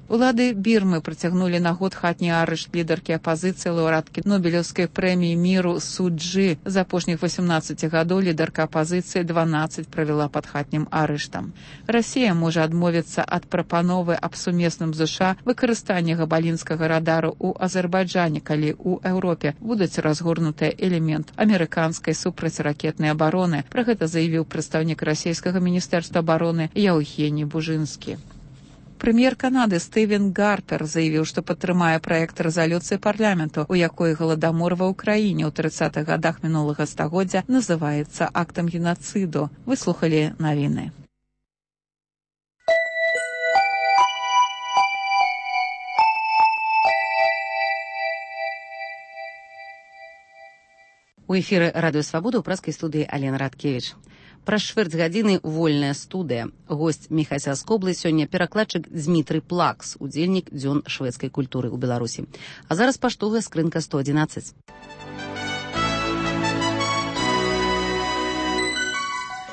Улады Бірмы працягнулі на год хатні арышт лідаркі апазіцыі лаўрэаткі Нобелеўскай прэміі міру Су Чжы. За апошніх восемнадцаць гадоў лідарка апазіцыі дванаццаць правяла пад хатнім арыштам. Расія можа адмовіцца ад прапановы аб сумесным ЗША выкарыстанні габалінскага радару ў Азербайджане, калі ў Еўропе будуць разгорнутыя элемент амерыканскай супрацьракетнай абароны. Пра гэта заявіў прадстаўнік расійскага міністэрства абароны Яўгеній Бужынскі. Прэм'ер Канады Стывен Гарпер заявіў, што падтрымае праект рэзалюцыі парламенту, у якой галадамор ва ўкраіне ў трыццатых гадах мінулага стагоддзя называецца актам генацыду. Выслухалі навіны. У эфіры радыё «Свабода» ў праскай студыі Алена Радкевіч. Праз чвэрць гадзіны вольная студыя. Госць Міхай Саскоблы сёння перакладчык Дзмітрый Плакс, удзельнік дзён шведскай культуры ў Беларусі. А зараз паштовая скрынка сто адзінаццаць.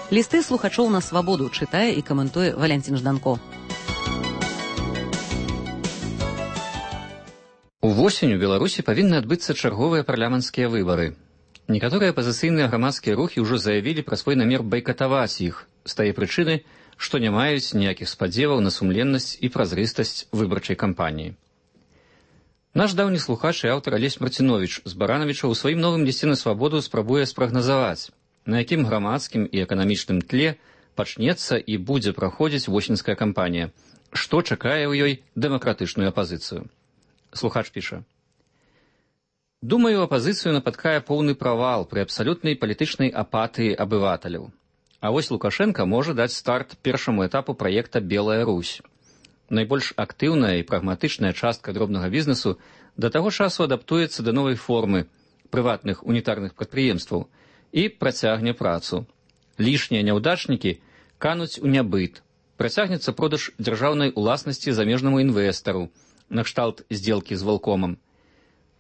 Лісты слухачоў на свабоду чытае і каментуе Валянцін Жданко. Увосень у Беларусі павінны адбыцца чарговыя парламенцкія выбары. Некаторыя апазіцыйныя грамадскія рухі ўжо заявілі пра свой намер байкатаваць іх з тае прычыны, што не маюць ніякіх спадзеваў на сумленнасць і празрыстасць выбарчай кампаніі. Наш даўні слухач і аўтар Алесь Марціновіч з Баранавіча ў сваім новым лісце на свабоду спрабуе спрагназаваць, на якім грамадскім і эканамічным тле пачнецца і будзе праходзіць восеньская кампанія, што чакае ў ёй дэмакратычную апазіцыю. Слухач піша: «Думаю, апазіцыю напаткае поўны правал пры абсалютнай палітычнай апатыі абываталяў. А вось Лукашенко можа даць старт першаму этапу праекта «Белая Русь». Найбольш актыўная і прагматычная частка дробнага бізнесу да таго часу адаптуецца да новай формы прыватных унітарных прадпрыемстваў і працягне працу. Лішнія няўдачнікі кануць у нябыт, Працягнецца продаж дзяржаўнай уласнасці замежнаму інвестару, накшталт здзелкі з Волкомам.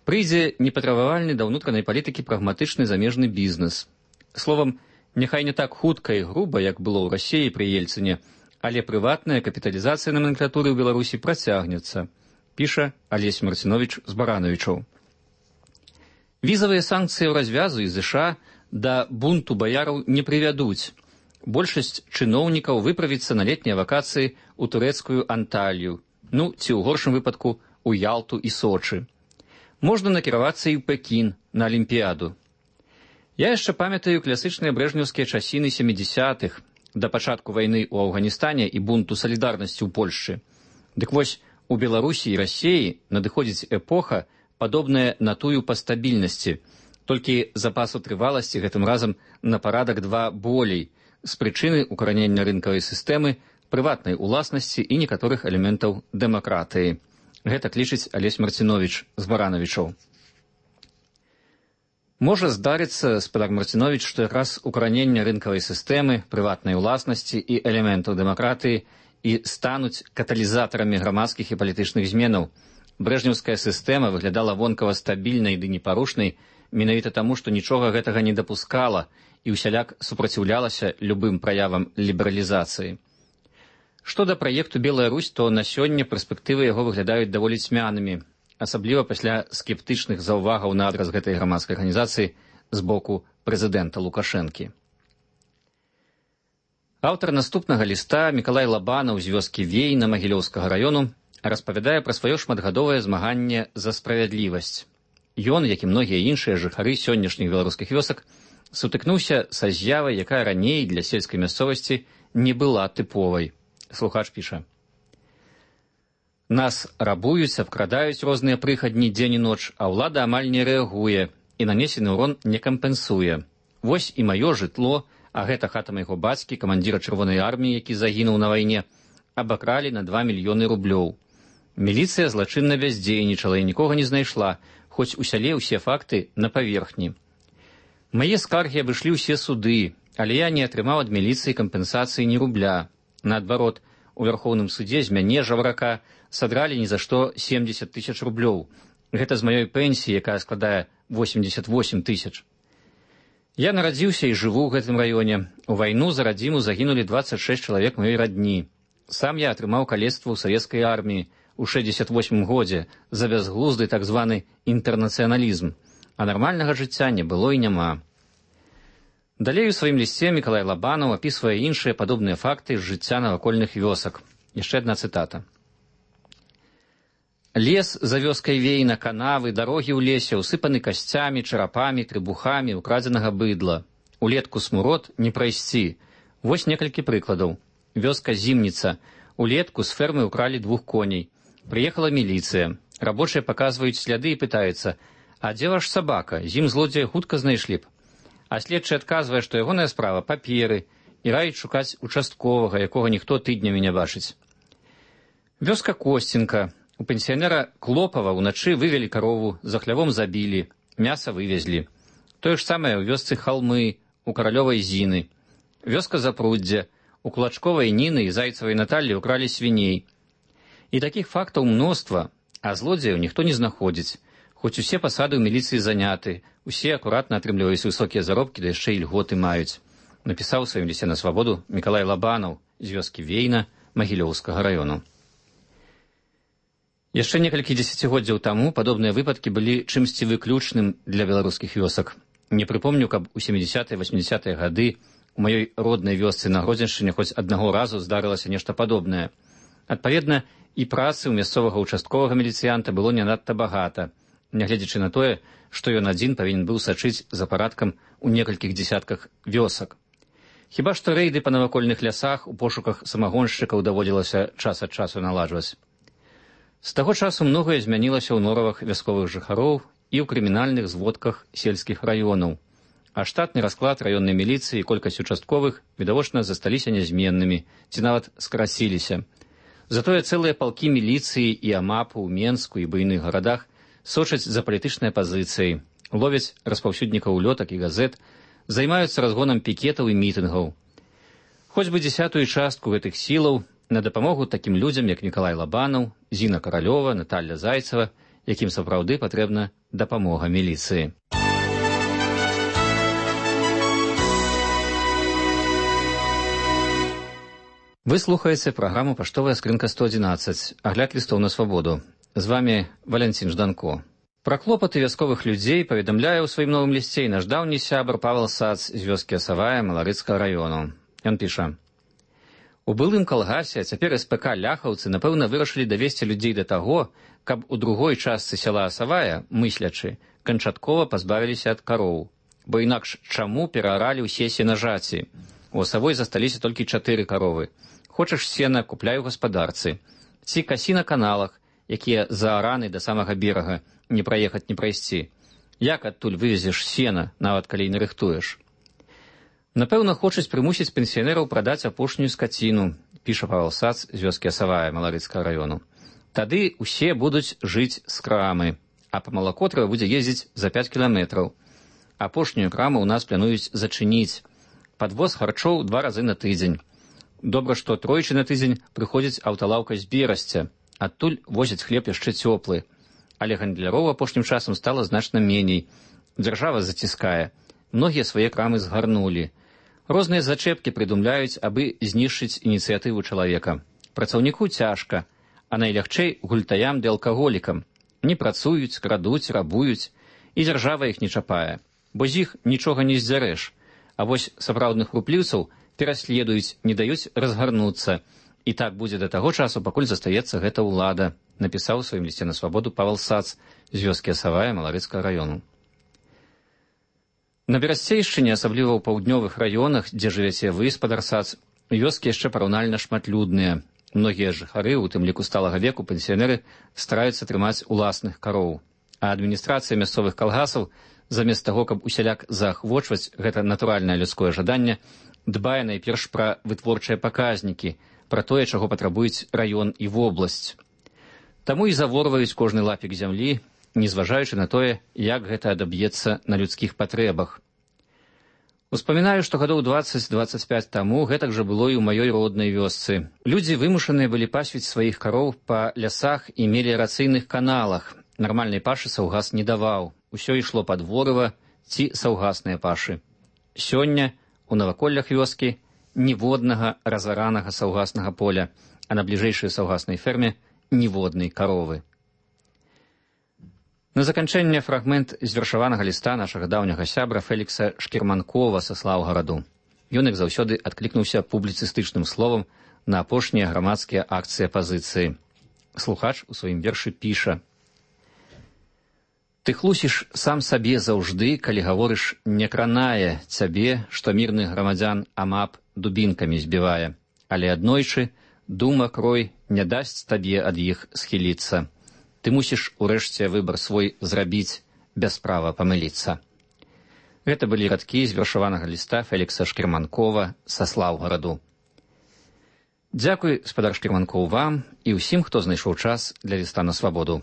Прыйдзе непатрабавальны да ўнутранай палітыкі прагматычны замежны бізнес. Словам, няхай не так хутка і груба, як было ў Расіі пры Ельцыне, але прыватная капіталізацыя номенклатуры ў Беларусі працягнецца, піша Алесь Марцинович з Барановичаў. Візавыя санкцыі ў развязу і ЗША да бунту баяраў не прывядуць. Большасць чыноўнікаў выправіцца на летнія вакацыі ў турэцкую Анталію, ну, ці ў горшым выпадку у Ялту і Сочы. Можна накіравацца і ў Пекін на Алімпіяду. Я яшчэ памятаю класычныя брэжнеўскія часіны сямідзясятых, да пачатку вайны ў Афганістане і бунту салідарнасці ў Польшчы. Дык вось, у Беларусі і Расіі надыходзіць эпоха, падобная на тую па стабільнасці, толькі запасу трываласці гэтым разам на парадак два болей, з прычыны укаранення рынкавай сістэмы, прыватнай уласнасці і некаторых элементаў дэмакратыі. Гэта лічыць Алесь Марцинович з Барановичаў. Можа здарыцца, спадар Марцинович, што якраз укаранення рынкавай сістэмы, прыватнай уласнасці і элементаў дэмакратыі і стануць каталізатарамі грамадскіх і палітычных зменаў. Брэжнеўская сістэма выглядала вонкава стабільнай ды непарушнай менавіта таму, што нічога гэтага не дапускала і ўсяляк супраціўлялася любым праявам лібералізацыі. Што да праекту «Белая Русь», то на сёння перспектывы яго выглядаюць даволі цьмянымі, асабліва пасля скептычных заўвагаў на адрас гэтай грамадскай арганізацыі з боку прэзідэнта Лукашэнкі. Аўтар наступнага ліста Мікалай Лабанаў з вёскі Вейна Магілёўскага раёну распавядае пра сваё шматгадовае змаганне за справядлівасць. Ён, як і многія іншыя жыхары сённяшніх беларускіх вёсак, сутыкнуўся са з'явай, якая раней для сельскай мясцовасці не была тыповай. Слухач піша. Нас рабуюць, абкрадаюць розныя прыхадні дзень і ноч, а ўлада амаль не рэагуе і нанесены ўрон не кампенсуе. Вось і маё жытло, а гэта хата майго бацькі, камандзіра чырвонай арміі, які загінуў на вайне, абакралі на два мільёны рублёў. Міліцыя злачынна бяздзейнічала і нікога не знайшла, хоць у сяле ўсе факты на паверхні. Мае скаргі абышлі ўсе суды, але я не атрымаў ад міліцыі кампенсацыі ні рубля. Наадварот, у Вярхоўным судзе з мяне, жабрака, садралі ні за што семдзесят тысяч рублёў. Гэта з маёй пенсіі, якая складае восемьдесят восемь тысяч. Я нарадзіўся і жыву ў гэтым раёне. У вайну за радзіму загінулі двадцать шесть чалавек маёй радні. Сам я атрымаў калецтва ў савецкай арміі у шэсцьдзесят восьмым годзе за бязглузды так званы інтэрнацыяналізм, а нармальнага жыцця не было і няма. Далей у сваім лісце Мікалай Лабанаў апісвае іншыя падобныя факты з жыцця навакольных вёсак. Яшчэ адна цытата. Лес за вёскай Вейна, канавы, дарогі ў лесе ўсыпаны касцямі, чарапамі, трыбухамі, украдзенага быдла. Улетку смурод не прайсці. Вось некалькі прыкладаў. Вёска Зімніца. Улетку з фермы ўкралі двух коней. Прыехала міліцыя. Рабочыя паказваюць сляды і пытаюцца, а дзе ваш сабака? Зім злодзея хутка знайшлі б. А следчы адказвае, што ягоная справа паперы і раіць шукаць участковага, якога ніхто тыднямі не бачыць. Вёска Косцінка. У пенсіянера Клопава ўначы вывелі карову, за хлявом забілі, мяса вывезлі. Тое ж самае ў вёсцы Халмы, у Каралёвай Зіны. Вёска Запруддзя. У Кулачковай Ніны і Зайцавай Наталлі ўкралі свіней. І такіх фактаў мноства, а злодзеяў ніхто не знаходзіць. Хоць усе пасады ў міліцыі заняты, усе акуратна атрымліваюць высокія заробкі, да яшчэ і льготы маюць. Напісаў у сваім лісце на свабоду Мікалай Лабанаў з вёскі Вейна Магілёўскага раёну. Яшчэ некалькі дзесяцігоддзяў таму падобныя выпадкі былі чымсьці выключным для беларускіх вёсак. Не прыпомню, каб у сямідзясятыя васьмідзясятыя гады у маёй роднай вёсцы на Гродзеншчыне хоць аднаго разу здарылася нешта падобнае. Адпаведна, і працы ў мясцовага участковага міліцыянта было не надта багата, нягледзячы на тое, што ён адзін павінен быў сачыць за парадкам у некалькіх дзесятках вёсак. Хіба што рэйды па навакольных лясах у пошуках самагоншчыкаў даводзілася час ад часу наладжваць. З таго часу многае змянілася ў норавах вясковых жыхароў і ў крымінальных зводках сельскіх раёнаў, а штатны расклад раённай міліцыі і колькасць участковых відавочна засталіся нязменнымі ці нават скрасіліся. Затое цэлыя палкі міліцыі і амапу ў Менску і буйных гарадах сочаць за палітычнай пазіцыяй, ловяць распаўсюднікаў лётак і газет, займаюцца разгонам пікетаў і мітынгаў. Хоць бы дзесятую частку гэтых сілаў на дапамогу такім людзям, як Мікалай Лабанаў, Зіна Каралёва, Наталья Зайцева, якім сапраўды патрэбна дапамога міліцыі. Вы слухаеце праграму «Паштовая скрынка сто адзінаццаць», агляд лістоў на свабоду. З вамі Валянцін Жданко. Пра клопаты вясковых людзей паведамляе ў сваім новым лісце і наш даўні сябр Павел Сац з вёскі Асавая Маларыцкага раёну. Ён піша: у былым калгасе, а цяпер эс пэ ка ляхаўцы, напэўна, вырашылі давесці людзей да таго, каб у другой частцы сяла Асавая, мыслячы, канчаткова пазбавіліся ад кароў. Бо інакш чаму перааралі ўсе сенажаці? У Асавой засталіся толькі чатыры каровы. Хочаш сена, купляй у гаспадарцы. Ці касі на каналах, якія заараны да самага берага, не праехаць, не прайсці. Як адтуль вывезеш сена, нават калі не рыхтуеш? Напэўна, хочуць прымусіць пенсіянераў прадаць апошнюю скаціну, піша Павел Сац з вёскі Асавая Маларыцкага раёну. Тады ўсе будуць жыць з крамы, а па малако трэба будзе ездзіць за пяць кіламетраў. Апошнюю краму ў нас плануюць зачыніць. Падвоз харчоў два разы на тыдзень. Добра, што тройчы на тыдзень прыходзіць аўталаўка з Берасця. Адтуль возяць хлеб яшчэ цёплы. Але гандляроў апошнім часам стала значна меней. Дзяржава заціскае. Многія свае крамы згарнулі. Розныя зачэпкі прыдумляюць, абы знішчыць ініцыятыву чалавека. Працаўніку цяжка, а найлягчэй гультаям ды алкаголікам. Не працуюць, крадуць, рабуюць, і дзяржава іх не чапае. Бо з іх нічога не здзярэш. А вось сапраўдных рупліўцаў пераследуюць, не даюць разгарнуцца. І так будзе да таго часу, пакуль застаецца гэта ўлада, напісаў у сваім лісце на свабоду Павел Сац з вёскі Асавая Маларыцкага раёну. На Берасцейшчыне, асабліва ў паўднёвых раёнах, дзе жывяце вы, спадар Сац, вёскі яшчэ параўнальна шматлюдныя. Многія жыхары, у тым ліку сталага веку, пенсіянеры, стараюцца трымаць уласных кароў. А адміністрацыя мясцовых калгасаў, замест таго, каб усяляк заахвочваць гэта натуральнае людское жаданне, дбае найперш пра вытворчыя паказнікі, пра тое, чаго патрабуюць раён і вобласць. Таму і заворваюць кожны лапік зямлі, незважаючы на тое, як гэта адаб'ецца на людскіх патрэбах. Успамінаю, што гадоў дваццаць-дваццаць пяць таму гэтак жа было і ў маёй роднай вёсцы. Людзі вымушаныя былі пасвіць сваіх кароў па лясах і меліярацыйных каналах. Нармальнай пашы саўгас не даваў. Усё ішло пад ворыва ці саўгасныя пашы. Сёння у наваколлях вёскі ніводнага разаранага саўгаснага поля, а на бліжэйшай саўгаснай ферме ніводнай каровы. На заканчэнне фрагмент з вершаванага ліста нашага даўняга сябра Фелікса Шкірманкова са Слаўгараду. Ён, як заўсёды, адклікнуўся публіцыстычным словам на апошнія грамадскія акцыі апазіцыі. Слухач у сваім вершы піша: «Ты хлусіш сам сабе заўжды, калі гаворыш, не кранае цябе, што мірных грамадзян амап дубінкамі збівае, але аднойчы дума крой не дасць табе ад іх схіліцца. Ты мусіш урэшце выбар свой зрабіць, без права памыліцца». Гэта былі радкі з вершаванага ліста Фелікса Шкірманкова са Слаўгараду. Дзякуй, спадар Шкірманкоў, вам і ўсім, хто знайшоў час для ліста на свабоду.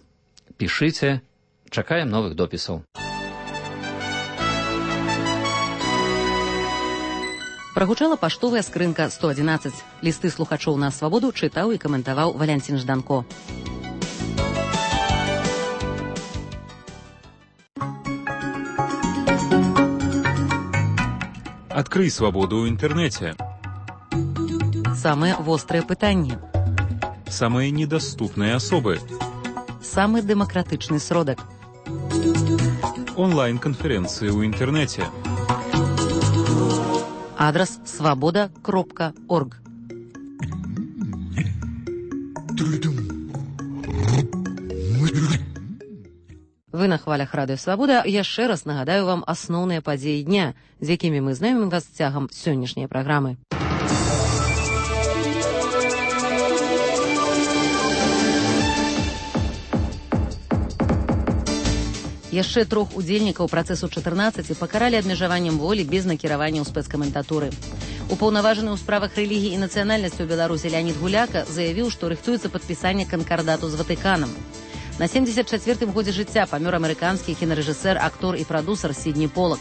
Пішыце, чакаем новых допісаў. Прагучала паштовая скрынка сто адзінаццаць. Лісты слухачоў на свабоду чытаў і каментаваў Валянцін Жданко. Открый свободу в интернете. Самые острые пытанні. Самые недоступные особы. Самый демократичный сродок. Онлайн-конференции в интернете. Адрес свобода кропка орг. Вы на хвалях радыё Свабода. Яшчэ раз нагадаю вам асноўныя падзеі дня, з якімі мы знаёмім вас цягам сённяшняй праграмы. Яшчэ трох удзельнікаў працэсу чатырнаццаць пакаралі абмежаваннем волі без накіравання ў спецкаментатуры. Упаўнаважаны ў справах рэлігіі і нацыянальнасці ў Беларусі Леонид Гуляка заявіў, што рыхтуецца падпісанне канкардату з Ватыканам. На семдзесят чацвёртым годзе жыцця памёр амерыканскі кінарэжысэр, актор і прадусер Сідні Полак.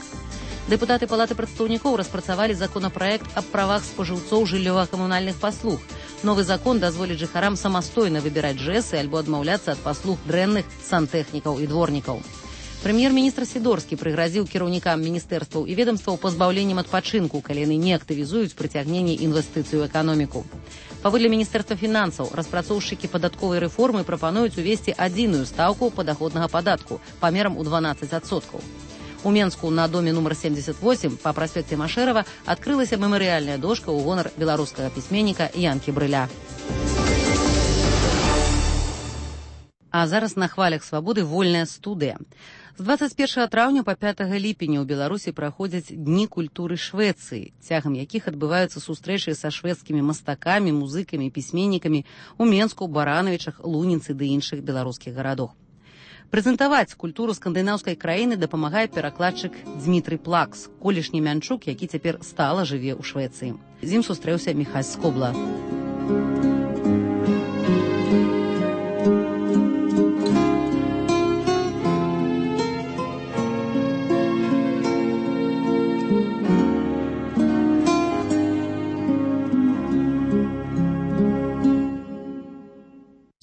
Дэпутаты палаты прадстаўнікоў распрацавалі законапраект аб правах спажыўцоў жыллёва-камунальных паслуг. Новы закон дазволіць жыхарам самастойна выбіраць жэсы альбо адмаўляцца ад паслуг дрэнных сантэхнікаў і дворнікаў. Прэм'ер-міністр Сідорскі прыгразіў кіраўнікам міністэрстваў і ведамстваў пазбаўленнем адпачынку, калі яны не актывізуюць прыцягненне інвестыцый у эканоміку. Паводле міністэрства фінансаў, распрацоўшчыкі падатковай рэформы прапануюць увесці адзіную стаўку падаходнага падатку памерам у дванаццаць адсоткаў. У Менску на доме нумар семьдесят восемь па праспекце Машэрава адкрылася мемарыяльная дошка ў гонар беларускага пісьменніка Янкі Брыля. А зараз на хвалях свабоды вольная студыя. З двадцать першага траўня па пятага ліпеня ў Беларусі праходзяць дні культуры Швецыі, цягам якіх адбываюцца сустрэчы са шведскімі мастакамі, музыкамі, пісьменнікамі ў Менску, Баранавічах, Луніцы ды іншых беларускіх гарадах. Прэзентаваць культуру скандынаўскай краіны дапамагае перакладчык Дзмітрый Плакс, колішні мянчук, які цяпер стала жыве ў Швецыі. З ім сустрэўся Міхась Скобла.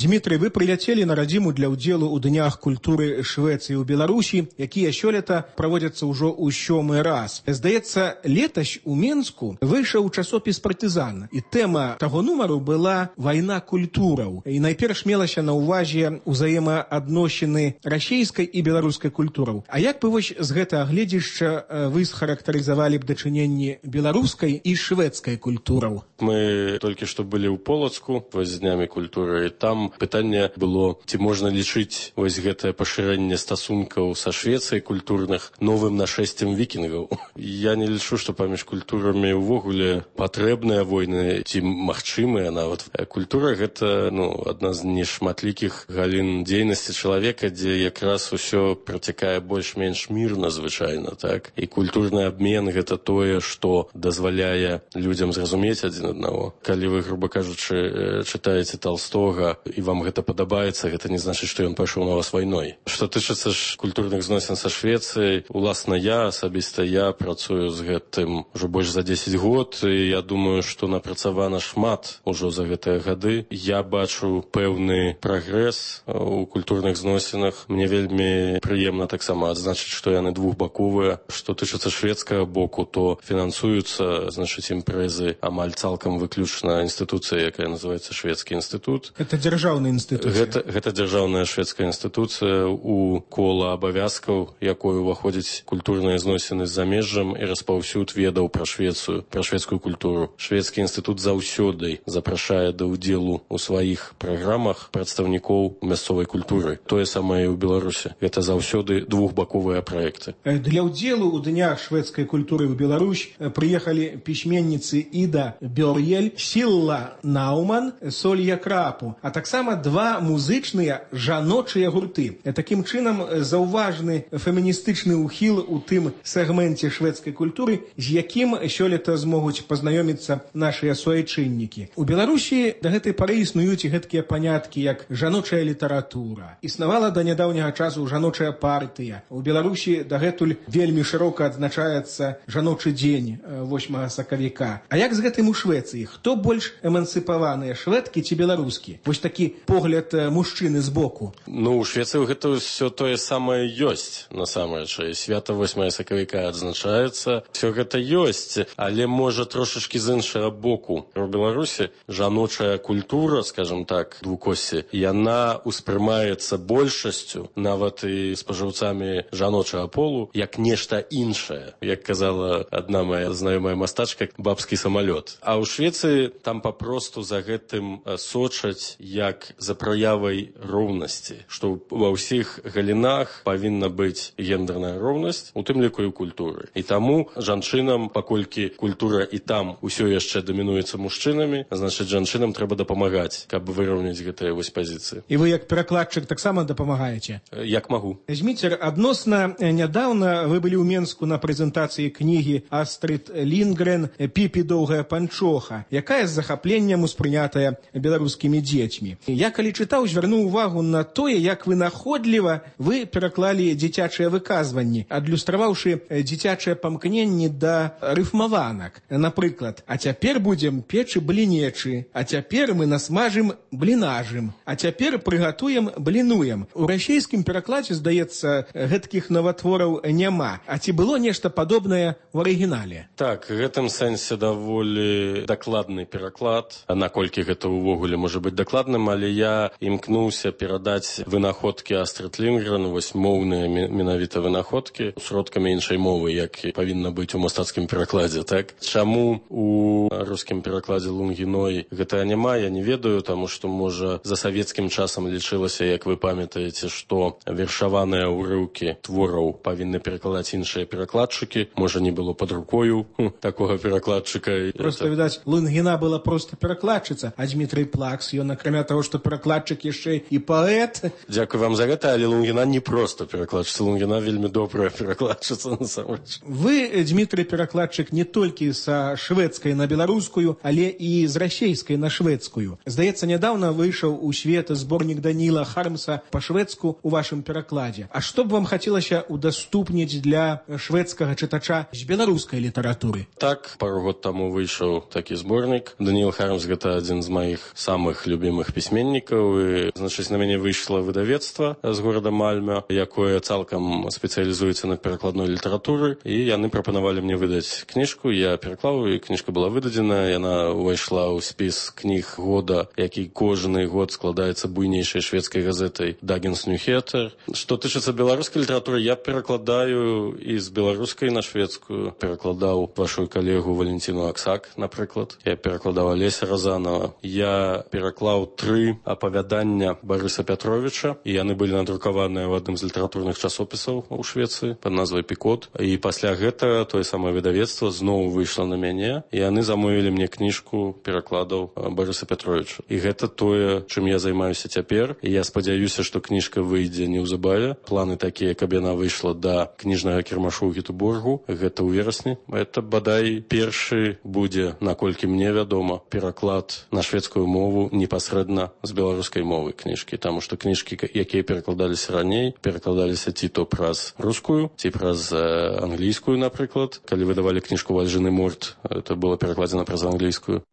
Дмітрый, вы прыляцелі на радзіму для ўдзелу ў днях культуры Швецыі ў Беларусі, якія сёлета праводзяцца ўжо ў сёмы раз. Здаецца, летась у Менску выйшаў часопіс «Партызан», і тэма таго нумару была «Вайна культураў». І найперш мелася на ўвазе ўзаемаадносіны расійскай і беларускай культураў. А як бы вось з гэтага гледзішча вы схарактарызавалі б дачыненні беларускай і шведскай культураў? Мы толькі што былі ў Полацку вось з днямі культуры, і там пытанне было, ці можна лічыць вось гэтае пашырэнне стасункаў са Швецыяй культурных новым нашэсцем вікінгаў. Я не лічу, што паміж культурамі ўвогуле патрэбныя войны, ці магчымыя нават. Культура гэта ну, адна з нешматлікіх галін дзейнасці чалавека, дзе якраз усё працякае больш-менш мірна звычайна, так? І культурны абмен гэта тое, што дазваляе людзям зразумець адзін аднаго. Калі вы, груба кажучы, чытаеце Талстога і вам гэта падабаецца, гэта не значыць, што ён пайшоў на вас вайной. Што тычыцца ж культурных зносін са Швецыяй, уласна я, асабіста я працую з гэтым ўжо больш за дзесяць год, і я думаю, што напрацавана шмат ужо за гэтыя гады. Я бачу пэўны прагрэс у культурных зносінах. Мне вельмі прыемна таксама адзначыць, што яны двухбаковыя. Што тычыцца шведскага боку, то фінансуюцца, значыць, імпрэзы амаль цалкам выключна інстытуцыя, якая называецца Шведскі інстытут. Это дзяржаўная інстытуцыя. Гэта, гэта дзяржаўная шведская інстытуцыя, у кола абавязкаў, якой уваходзяць культурныя зносіны з замежжам і распаўсюд ведаў пра Швецыю, пра шведскую культуру. Шведскі інстытут заўсёды запрашае да ўдзелу ў сваіх праграмах прадстаўнікоў мясцовай культуры. Тое самае і ў Беларусі. Гэта заўсёды двухбаковыя праекты. Для ўдзелу ў днях шведскай культуры ў Беларусь прыехалі пісьменніцы Іда Бёр'ель, Сілла Науман, Солья Крапу, а таксама два музычныя жаночыя гурты. Такім чынам заўважны феміністычны ўхіл у тым сегменце шведскай культуры, з якім сёлета змогуць пазнаёміцца нашыя суайчыннікі. У Беларусі да гэтай пары існуюць гэткія паняткі, як жаночая літаратура. Існавала да нядаўняга часу жаночая партыя. У Беларусі дагэтуль вельмі шырока адзначаецца жаночы дзень восьмага сакавіка. А як з гэтым у Швецыі? Хто больш эмансіпаваныя, шведкі ці беларускі? Вось такі погляд мужчыны збоку. Ну, у Швецыі гэта ўсё тое самае ёсць, насамрэч. Свята восьмага сакавіка адзначаецца. Всё гэта ёсць, але можа трошачкі з іншага боку. У Беларусі жаночая культура, скажем так, двукоссі, яна ўспрымаецца большасцю, нават і спажыўцамі жаночага полу, як нешта іншае. Як казала адна моя знаёмая мастачка, бабскі самалёт. А ў Швецыі там папросту за гэтым сочаць як за праявай роўнасці, што ва ўсіх галінах павінна быць гендерная роўнасць, у тым ліку і ў культуры. І таму жанчынам, паколькі культура і там усё яшчэ дамінуецца мужчынамі, значыць, жанчынам трэба дапамагаць, каб выраўняць гэтыя вось пазіцыі. І вы як перакладчык таксама дапамагаеце? Як магу. Зміцер, адносна нядаўна вы былі ў Менску на прэзентацыі кнігі Астрид Лінгрен «Піпі доўгая панчоха», якая з захапленнем успрынятая беларускімі дзецьмі. Я, калі чытаў, звярнуў увагу на тое, як вынаходліва вы пераклалі дзіцячыя выказванні, адлюстраваўшы дзіцячыя памкненні да рыфмаванак. Напрыклад, а цяпер будзем печы блінечы, а цяпер мы насмажым блінажым, а цяпер прыгатуем блінуем. У расійскім перакладзе, здаецца, гэткіх наватвораў няма. А ці было нешта падобнае ў арыгінале? Так, в гэтым сэнсе даволі дакладны пераклад, наколькі гэта ўвогуле можа быць дакладным, але я імкнуўся перадаць вынаходкі Астрид Лінгрен, вось моўныя менавіта вынаходкі, сродкамі іншай мовы, як павінна быць у мастацкім перакладзе, так? Чаму у рускім перакладзе Лунгіной гэта няма, я не ведаю, таму што, можа, за савецкім часам лічылася, як вы памятаеце, што вершаваныя ўрыўкі твораў павінны перакладаць іншыя перакладчыкі, можа, не было пад рукою такога перакладчыка. Просто, это... відаць, Лунгіна была просто перакладчыца, а Дмітрый Плакс, ён, акрамя таго, што перакладчык, яшчэ і паэт. Дзякуй вам за гэта, але Лунгіна не проста перакладчыца, Лунгіна вельмі добрая перакладчыца, насамрэч. Вы, Дмітрый, перакладчык не толькі са шведскай на беларускую, але і з расейскай на шведскую. Здаецца, нядаўна выйшаў у свет зборнік Даніла Хармса па-шведску у вашым перакладзе. А што б вам хацелася удаступніць для шведскага чытача з беларускай літаратуры? Так, пару год таму выйшаў такі зборнік. Даніл Хармс — гэта адзін з маіх самых любімых пісьменнікаў. І, значыць, на мяне выйшла выдавецтва з горада Мальме, якое цалкам спецыялізуецца на перакладной літаратуры, і яны прапанавалі мне выдаць кніжку. Я пераклаў, і кніжка была выдадзена. Яна ўвайшла ў спіс кніг года, які кожны год складаецца буйнейшай шведскай газетай Dagens Nyheter. Што тычыцца беларускай літаратуры, я перакладаю і з беларускай на шведскую. Перакладаў вашу калегу Валентину Аксак, напрыклад. Я перакладаў Алеся Разанова. Я пераклаў тры апавядання Барыса Пятровича, і яны былі надрукаваныя ў адным з літаратурных часопісаў у Швецыі пад назвай «Пікот». І пасля гэтага тое самае выдавецтва зноў выйшла на мяне, і яны замовілі мне кніжку перакладаў Барыса Пятровича. І гэта тое, чым я займаюся цяпер. І я спадзяюся, што кніжка выйдзе неўзабаве. Планы такія, каб яна выйшла да кніжнага кірмашу ў Гетеборгу. Гэта ў верасні. Это, бадай, першы будзе, наколькі мне вядома, пераклад на шведскую мову непасрэдна з беларускай мовы кніжкі. Таму што кніжкі, якія перакладаліся раней, перакладаліся ці то праз рускую, ці праз англійскую, напрыклад. Калі выдавалі кніжку Вальжыны Морт, это было перакладзена праз англійскую.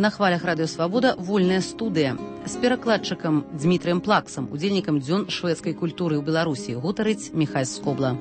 На хвалях радыё «Свабода» вольная студыя. З перакладчыкам Дмітрыем Плаксам, удзельнікам дзён шведскай культуры ў Беларусі, гутарыць Міхась Скобла.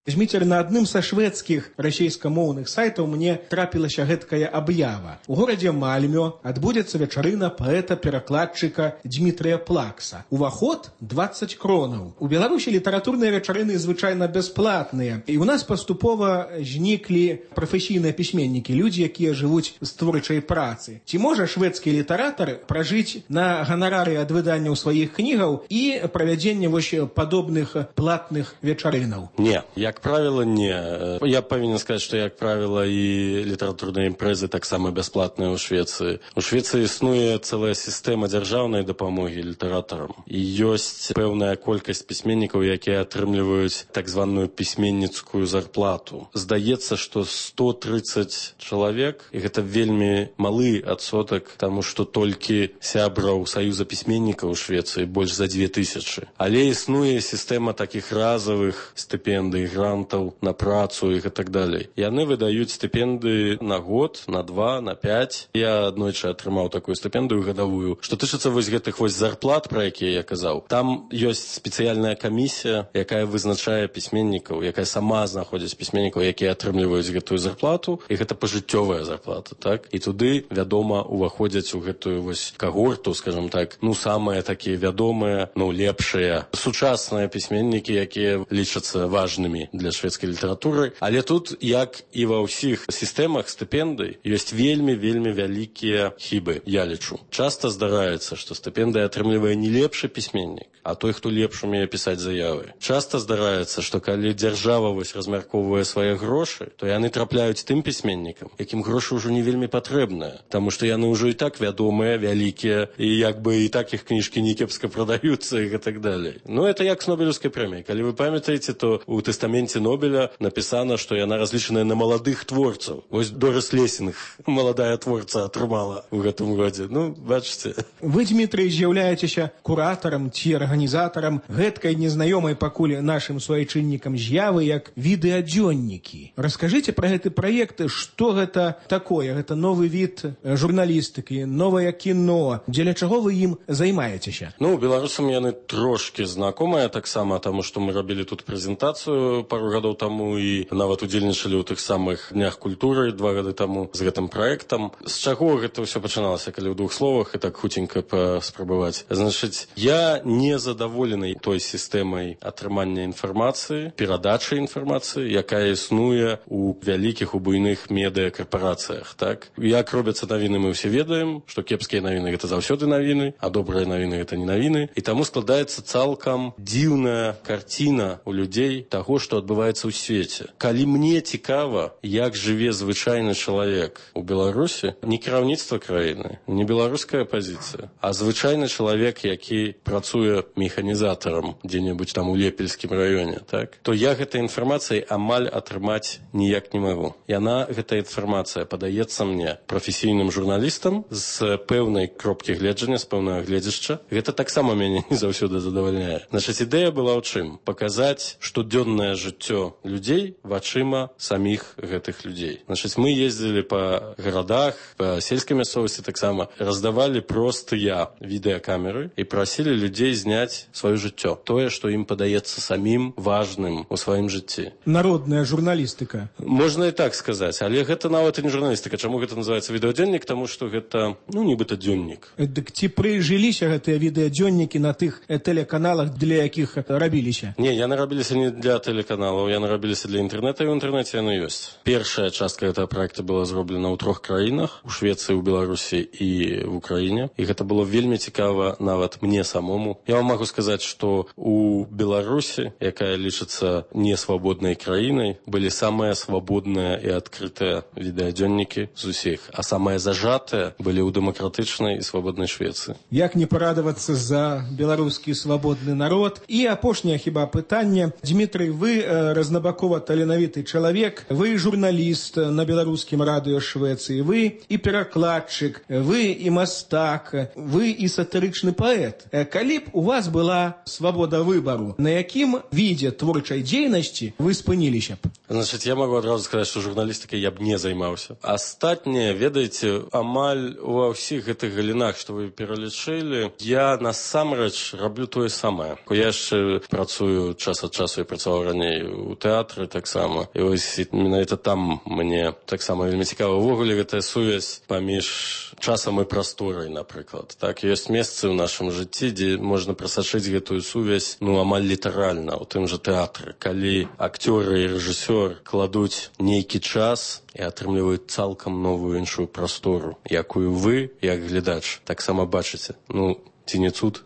Зміцер, на адным са шведскіх расейскамоўных сайтаў мне трапілася гэткая аб'ява. У горадзе Мальмё адбудзецца вечарына паэта-перакладчыка Дмітрыя Плакса. Уваход дваццаць кронаў. У Беларусі літаратурныя вечарыны звычайна бясплатныя. І ў нас паступова зніклі прафесійныя пісьменнікі, людзі, якія жывуць з творчай працы. Ці можа шведскі літаратар пражыць на ганарары ад выданняў сваіх кнігаў і правядзення вось падобных платных вечарынаў? Не, як Як правіла, не. Я павінен сказаць, што, як правіла, і літаратурныя імпрэзы таксама бясплатныя ў Швецыі. У Швецыі існуе цэлая сістэма дзяржаўнай дапамогі літаратарам. І ёсць пэўная колькасць пісьменнікаў, якія атрымліваюць так званую пісьменніцкую зарплату. Здаецца, што сто трыццаць чалавек, і гэта вельмі малы адсотак, таму што толькі сябраў Саюза пісьменнікаў у Швецыі больш за дзве тысячы. Але існуе сістэма такіх разавых стыпендый, грантаў на працу і так далей. Яны выдаюць стыпендыі на год, на два, на пяць. Я аднойчы атрымаў такую стыпендыю гадавую. Што тычыцца вось гэтых вось зарплат, пра якія я казаў, там ёсць спецыяльная камісія, якая вызначае пісьменнікаў, якая сама знаходзіць пісьменнікаў, якія атрымліваюць гэтую зарплату, і гэта пажыццёвая зарплата, так? І туды, вядома, уваходзяць у гэтую вось кагорту, скажам так, ну, самыя такія вядомыя, ну, лепшыя, сучасныя пісьменнікі, якія лічацца важнымі для шведскай літаратуры. Але тут, як і ва ўсіх сістэмах стыпендый, ёсць вельмі-вельмі вялікія хібы, я лічу. Часта здараецца, што стыпендыя атрымлівае не лепшы пісьменнік, а той, хто лепш умее пісаць заявы. Часта здараецца, што калі дзяржава вось размяркоўвае свае грошы, то яны трапляюць тым пісьменнікам, якім грошы ўжо не вельмі патрэбныя, таму што яны ўжо і так вядомыя, вялікія, і як бы і так іх кніжкі не кепска прадаюцца і так далей. Ну, это як з Нобелевскай прэміяй. Калі вы памятаеце, то ў тэстаменце Нобеля напісана, што яна разлічаная на маладых творцаў. Вось Дорис Лессинг, маладая творца, атрымала ў гэтым годзе. Ну, бачыце. Вы, Дмітрый, з'яўляецеся куратарам ці арганізатарам гэткай незнаёмай пакуль нашым суайчыннікам з'явы як відэадзённікі. Раскажыце пра гэты праект, што гэта такое? Гэта новы від журналістыкі, новае кіно. Дзеля чаго вы ім займаецеся? Ну, беларусам яны трошки знакомыя таксама, таму што мы рабілі тут прэзентацыю пару гадоў таму і нават удзельнічалі ў тых самых днях культуры два гады таму з гэтым праектам. З чаго гэта ўсё пачыналася, калі ў двух словах і так хуценька паспрабаваць? Значыць, я не задаволены той сістэмай атрымання інфармацыі, перадачы інфармацыі, якая існуе у вялікіх, у буйных медыакарпарацыях, так? Як робяцца навіны, мы ўсе ведаем, што кепскія навіны гэта заўсёды навіны, а добрыя навіны гэта не навіны, і таму складаецца цалкам дзіўная карціна у людзей таго, што адбываецца ў свеце. Калі мне цікава, як жыве звычайны чалавек у Беларусі, не кіраўніцтва краіны, не беларуская апазіцыя, а звычайны чалавек, які працуе механізатарам дзе-небудзь там у Лепельскім раёне, так, то я гэтай інфармацыяй амаль атрымаць ніяк не магу. Яна, гэтая інфармацыя, падаецца мне прафесійным журналістам з пэўнай кропкі гледжання, з пэўнага гледзяшча. Гэта таксама мяне не заўсёды задавальняе. Значыць, ідэя была ў чым? Паказаць штодзённае жыццё людзей вачыма саміх гэтых людзей. Значыць, мы ездзілі па гарадах, па сельскай мясцовасці таксама, раздавалі простыя відэакамеры і прасілі людзей зняць сваё жыццё. Тое, што ім падаецца самім важным у сваім жыцці. Народная журналістыка. Можна і так сказаць, але гэта нават і не журналістыка. Чаму гэта называецца відэадзённік? Таму што гэта, ну, нібыта дзённік. Дык ці прыжыліся гэтыя відэадзённікі на тых тэлеканалах, для якіх рабіліся? Не, яны рабіліся не для тэлеканалаў, яны рабіліся для інтэрнэта, і ў інтэрнэце яны ёсць. Першая частка гэтага праекта была зроблена ў трох краінах, у Швецыі, у Беларусі і в Украіне. І гэта было вельмі цікава нават мне самому. Я вам магу сказаць, што у Беларусі, якая лічыцца несвабоднай краінай, былі самыя свабодныя і адкрытыя відэадзённікі з усіх, а самыя зажатыя былі ў дэмакратычнай і свабоднай Швецыі. Як не парадавацца за беларускі свабодны народ? І апошняе хіба пытанне. Дмітрый, вы э, разнабакова таленавіты чалавек, вы журналіст на беларускім радыё Швецыі, вы і перакладчык, вы і мастак, вы і сатырычны паэт. Калі б у вас была свабода выбару, на якім відзе творчай дзейнасці вы спыніліся б? Значыць, я магу адразу сказаць, што журналістыкай я б не займаўся. Астатняе, ведаеце, амаль ува ўсіх гэтых галінах, што вы пералічылі, я насамрэч раблю тое самае. Я яшчэ працую час ад часу, я працаваў раней у тэатры таксама. І вось менавіта там мне таксама вельмі цікава. Увогуле гэтая сувязь паміж часам і прасторай, напрыклад. Так, ёсць месцы ў нашым жыцці, дзе можна прасачыць гэтую сувязь, ну, амаль літаральна, у тым жа тэатры. Калі акцёры і рэжысёр кладуць нейкі час і атрымліваюць цалкам новую іншую прастору, якую вы, як глядач, таксама бачыце. Ну, ці не цуд?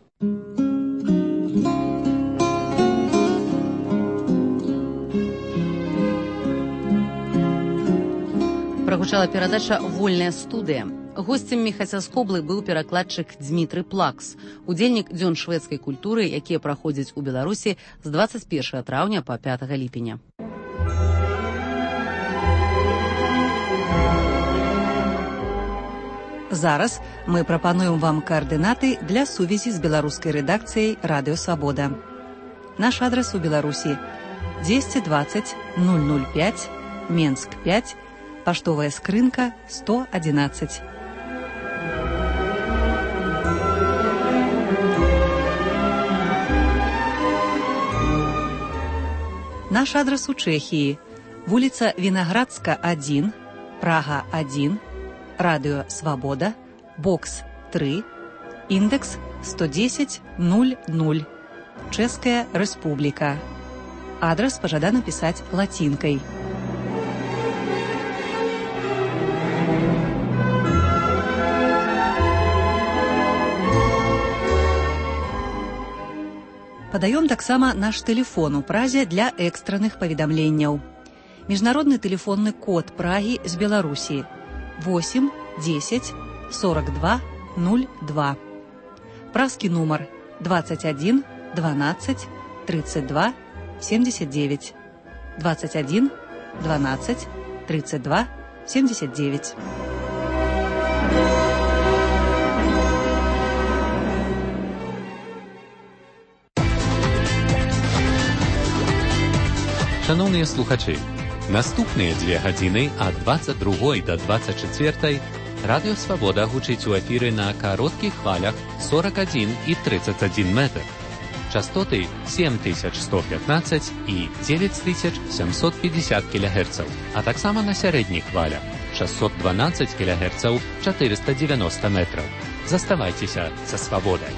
Прагучала перадача «Вольная студыя». Госцем Міхася Скоблы быў перакладчык Дзмітрый Плакс, удзельнік дзён шведскай культуры, якія праходзяць у Беларусі з дваццаць першага траўня па пятага ліпеня. Зараз мы прапануем вам координаты для сувязі з беларускай рэдакцыяй «Радыё Свабода». Наш адрес у Беларусі двести двадцать ноль ноль пять, Менск пять, паштовая скрынка сто одиннадцать. Наш адрес у Чэхіі. Вуліца Вінаградска один, Прага один, Радыё Свабода, бокс три, індекс сто десять ноль ноль, Чэшская Рэспубліка. Адрас пажадана пісаць лацінкай. Падаём таксама наш тэлефон у Празе для экстранных паведамленняў. Міжнародны тэлефонны код Прагі з Беларусі восемь десять сорок два ноль два. Празкі нумар двадцать один двенадцать тридцать два семьдесят девять. двадцать один двенадцать тридцать два семьдесят девять. Шановныя слухачы, наступныя дзве гадзіны ад двадцать другой да двадцать чацвёртай Радыё Свабода гучыць у эфіры на кароткіх хвалях сорок один и тридцать один метр. Частоты семь тысяч сто пятнадцать и девять тысяч семьсот пятьдесят килогерцаў, а таксама на сярэдніх хвалях шестьсот двенадцать килогерцаў четыреста девяносто метров. Заставайцеся са Свабодай.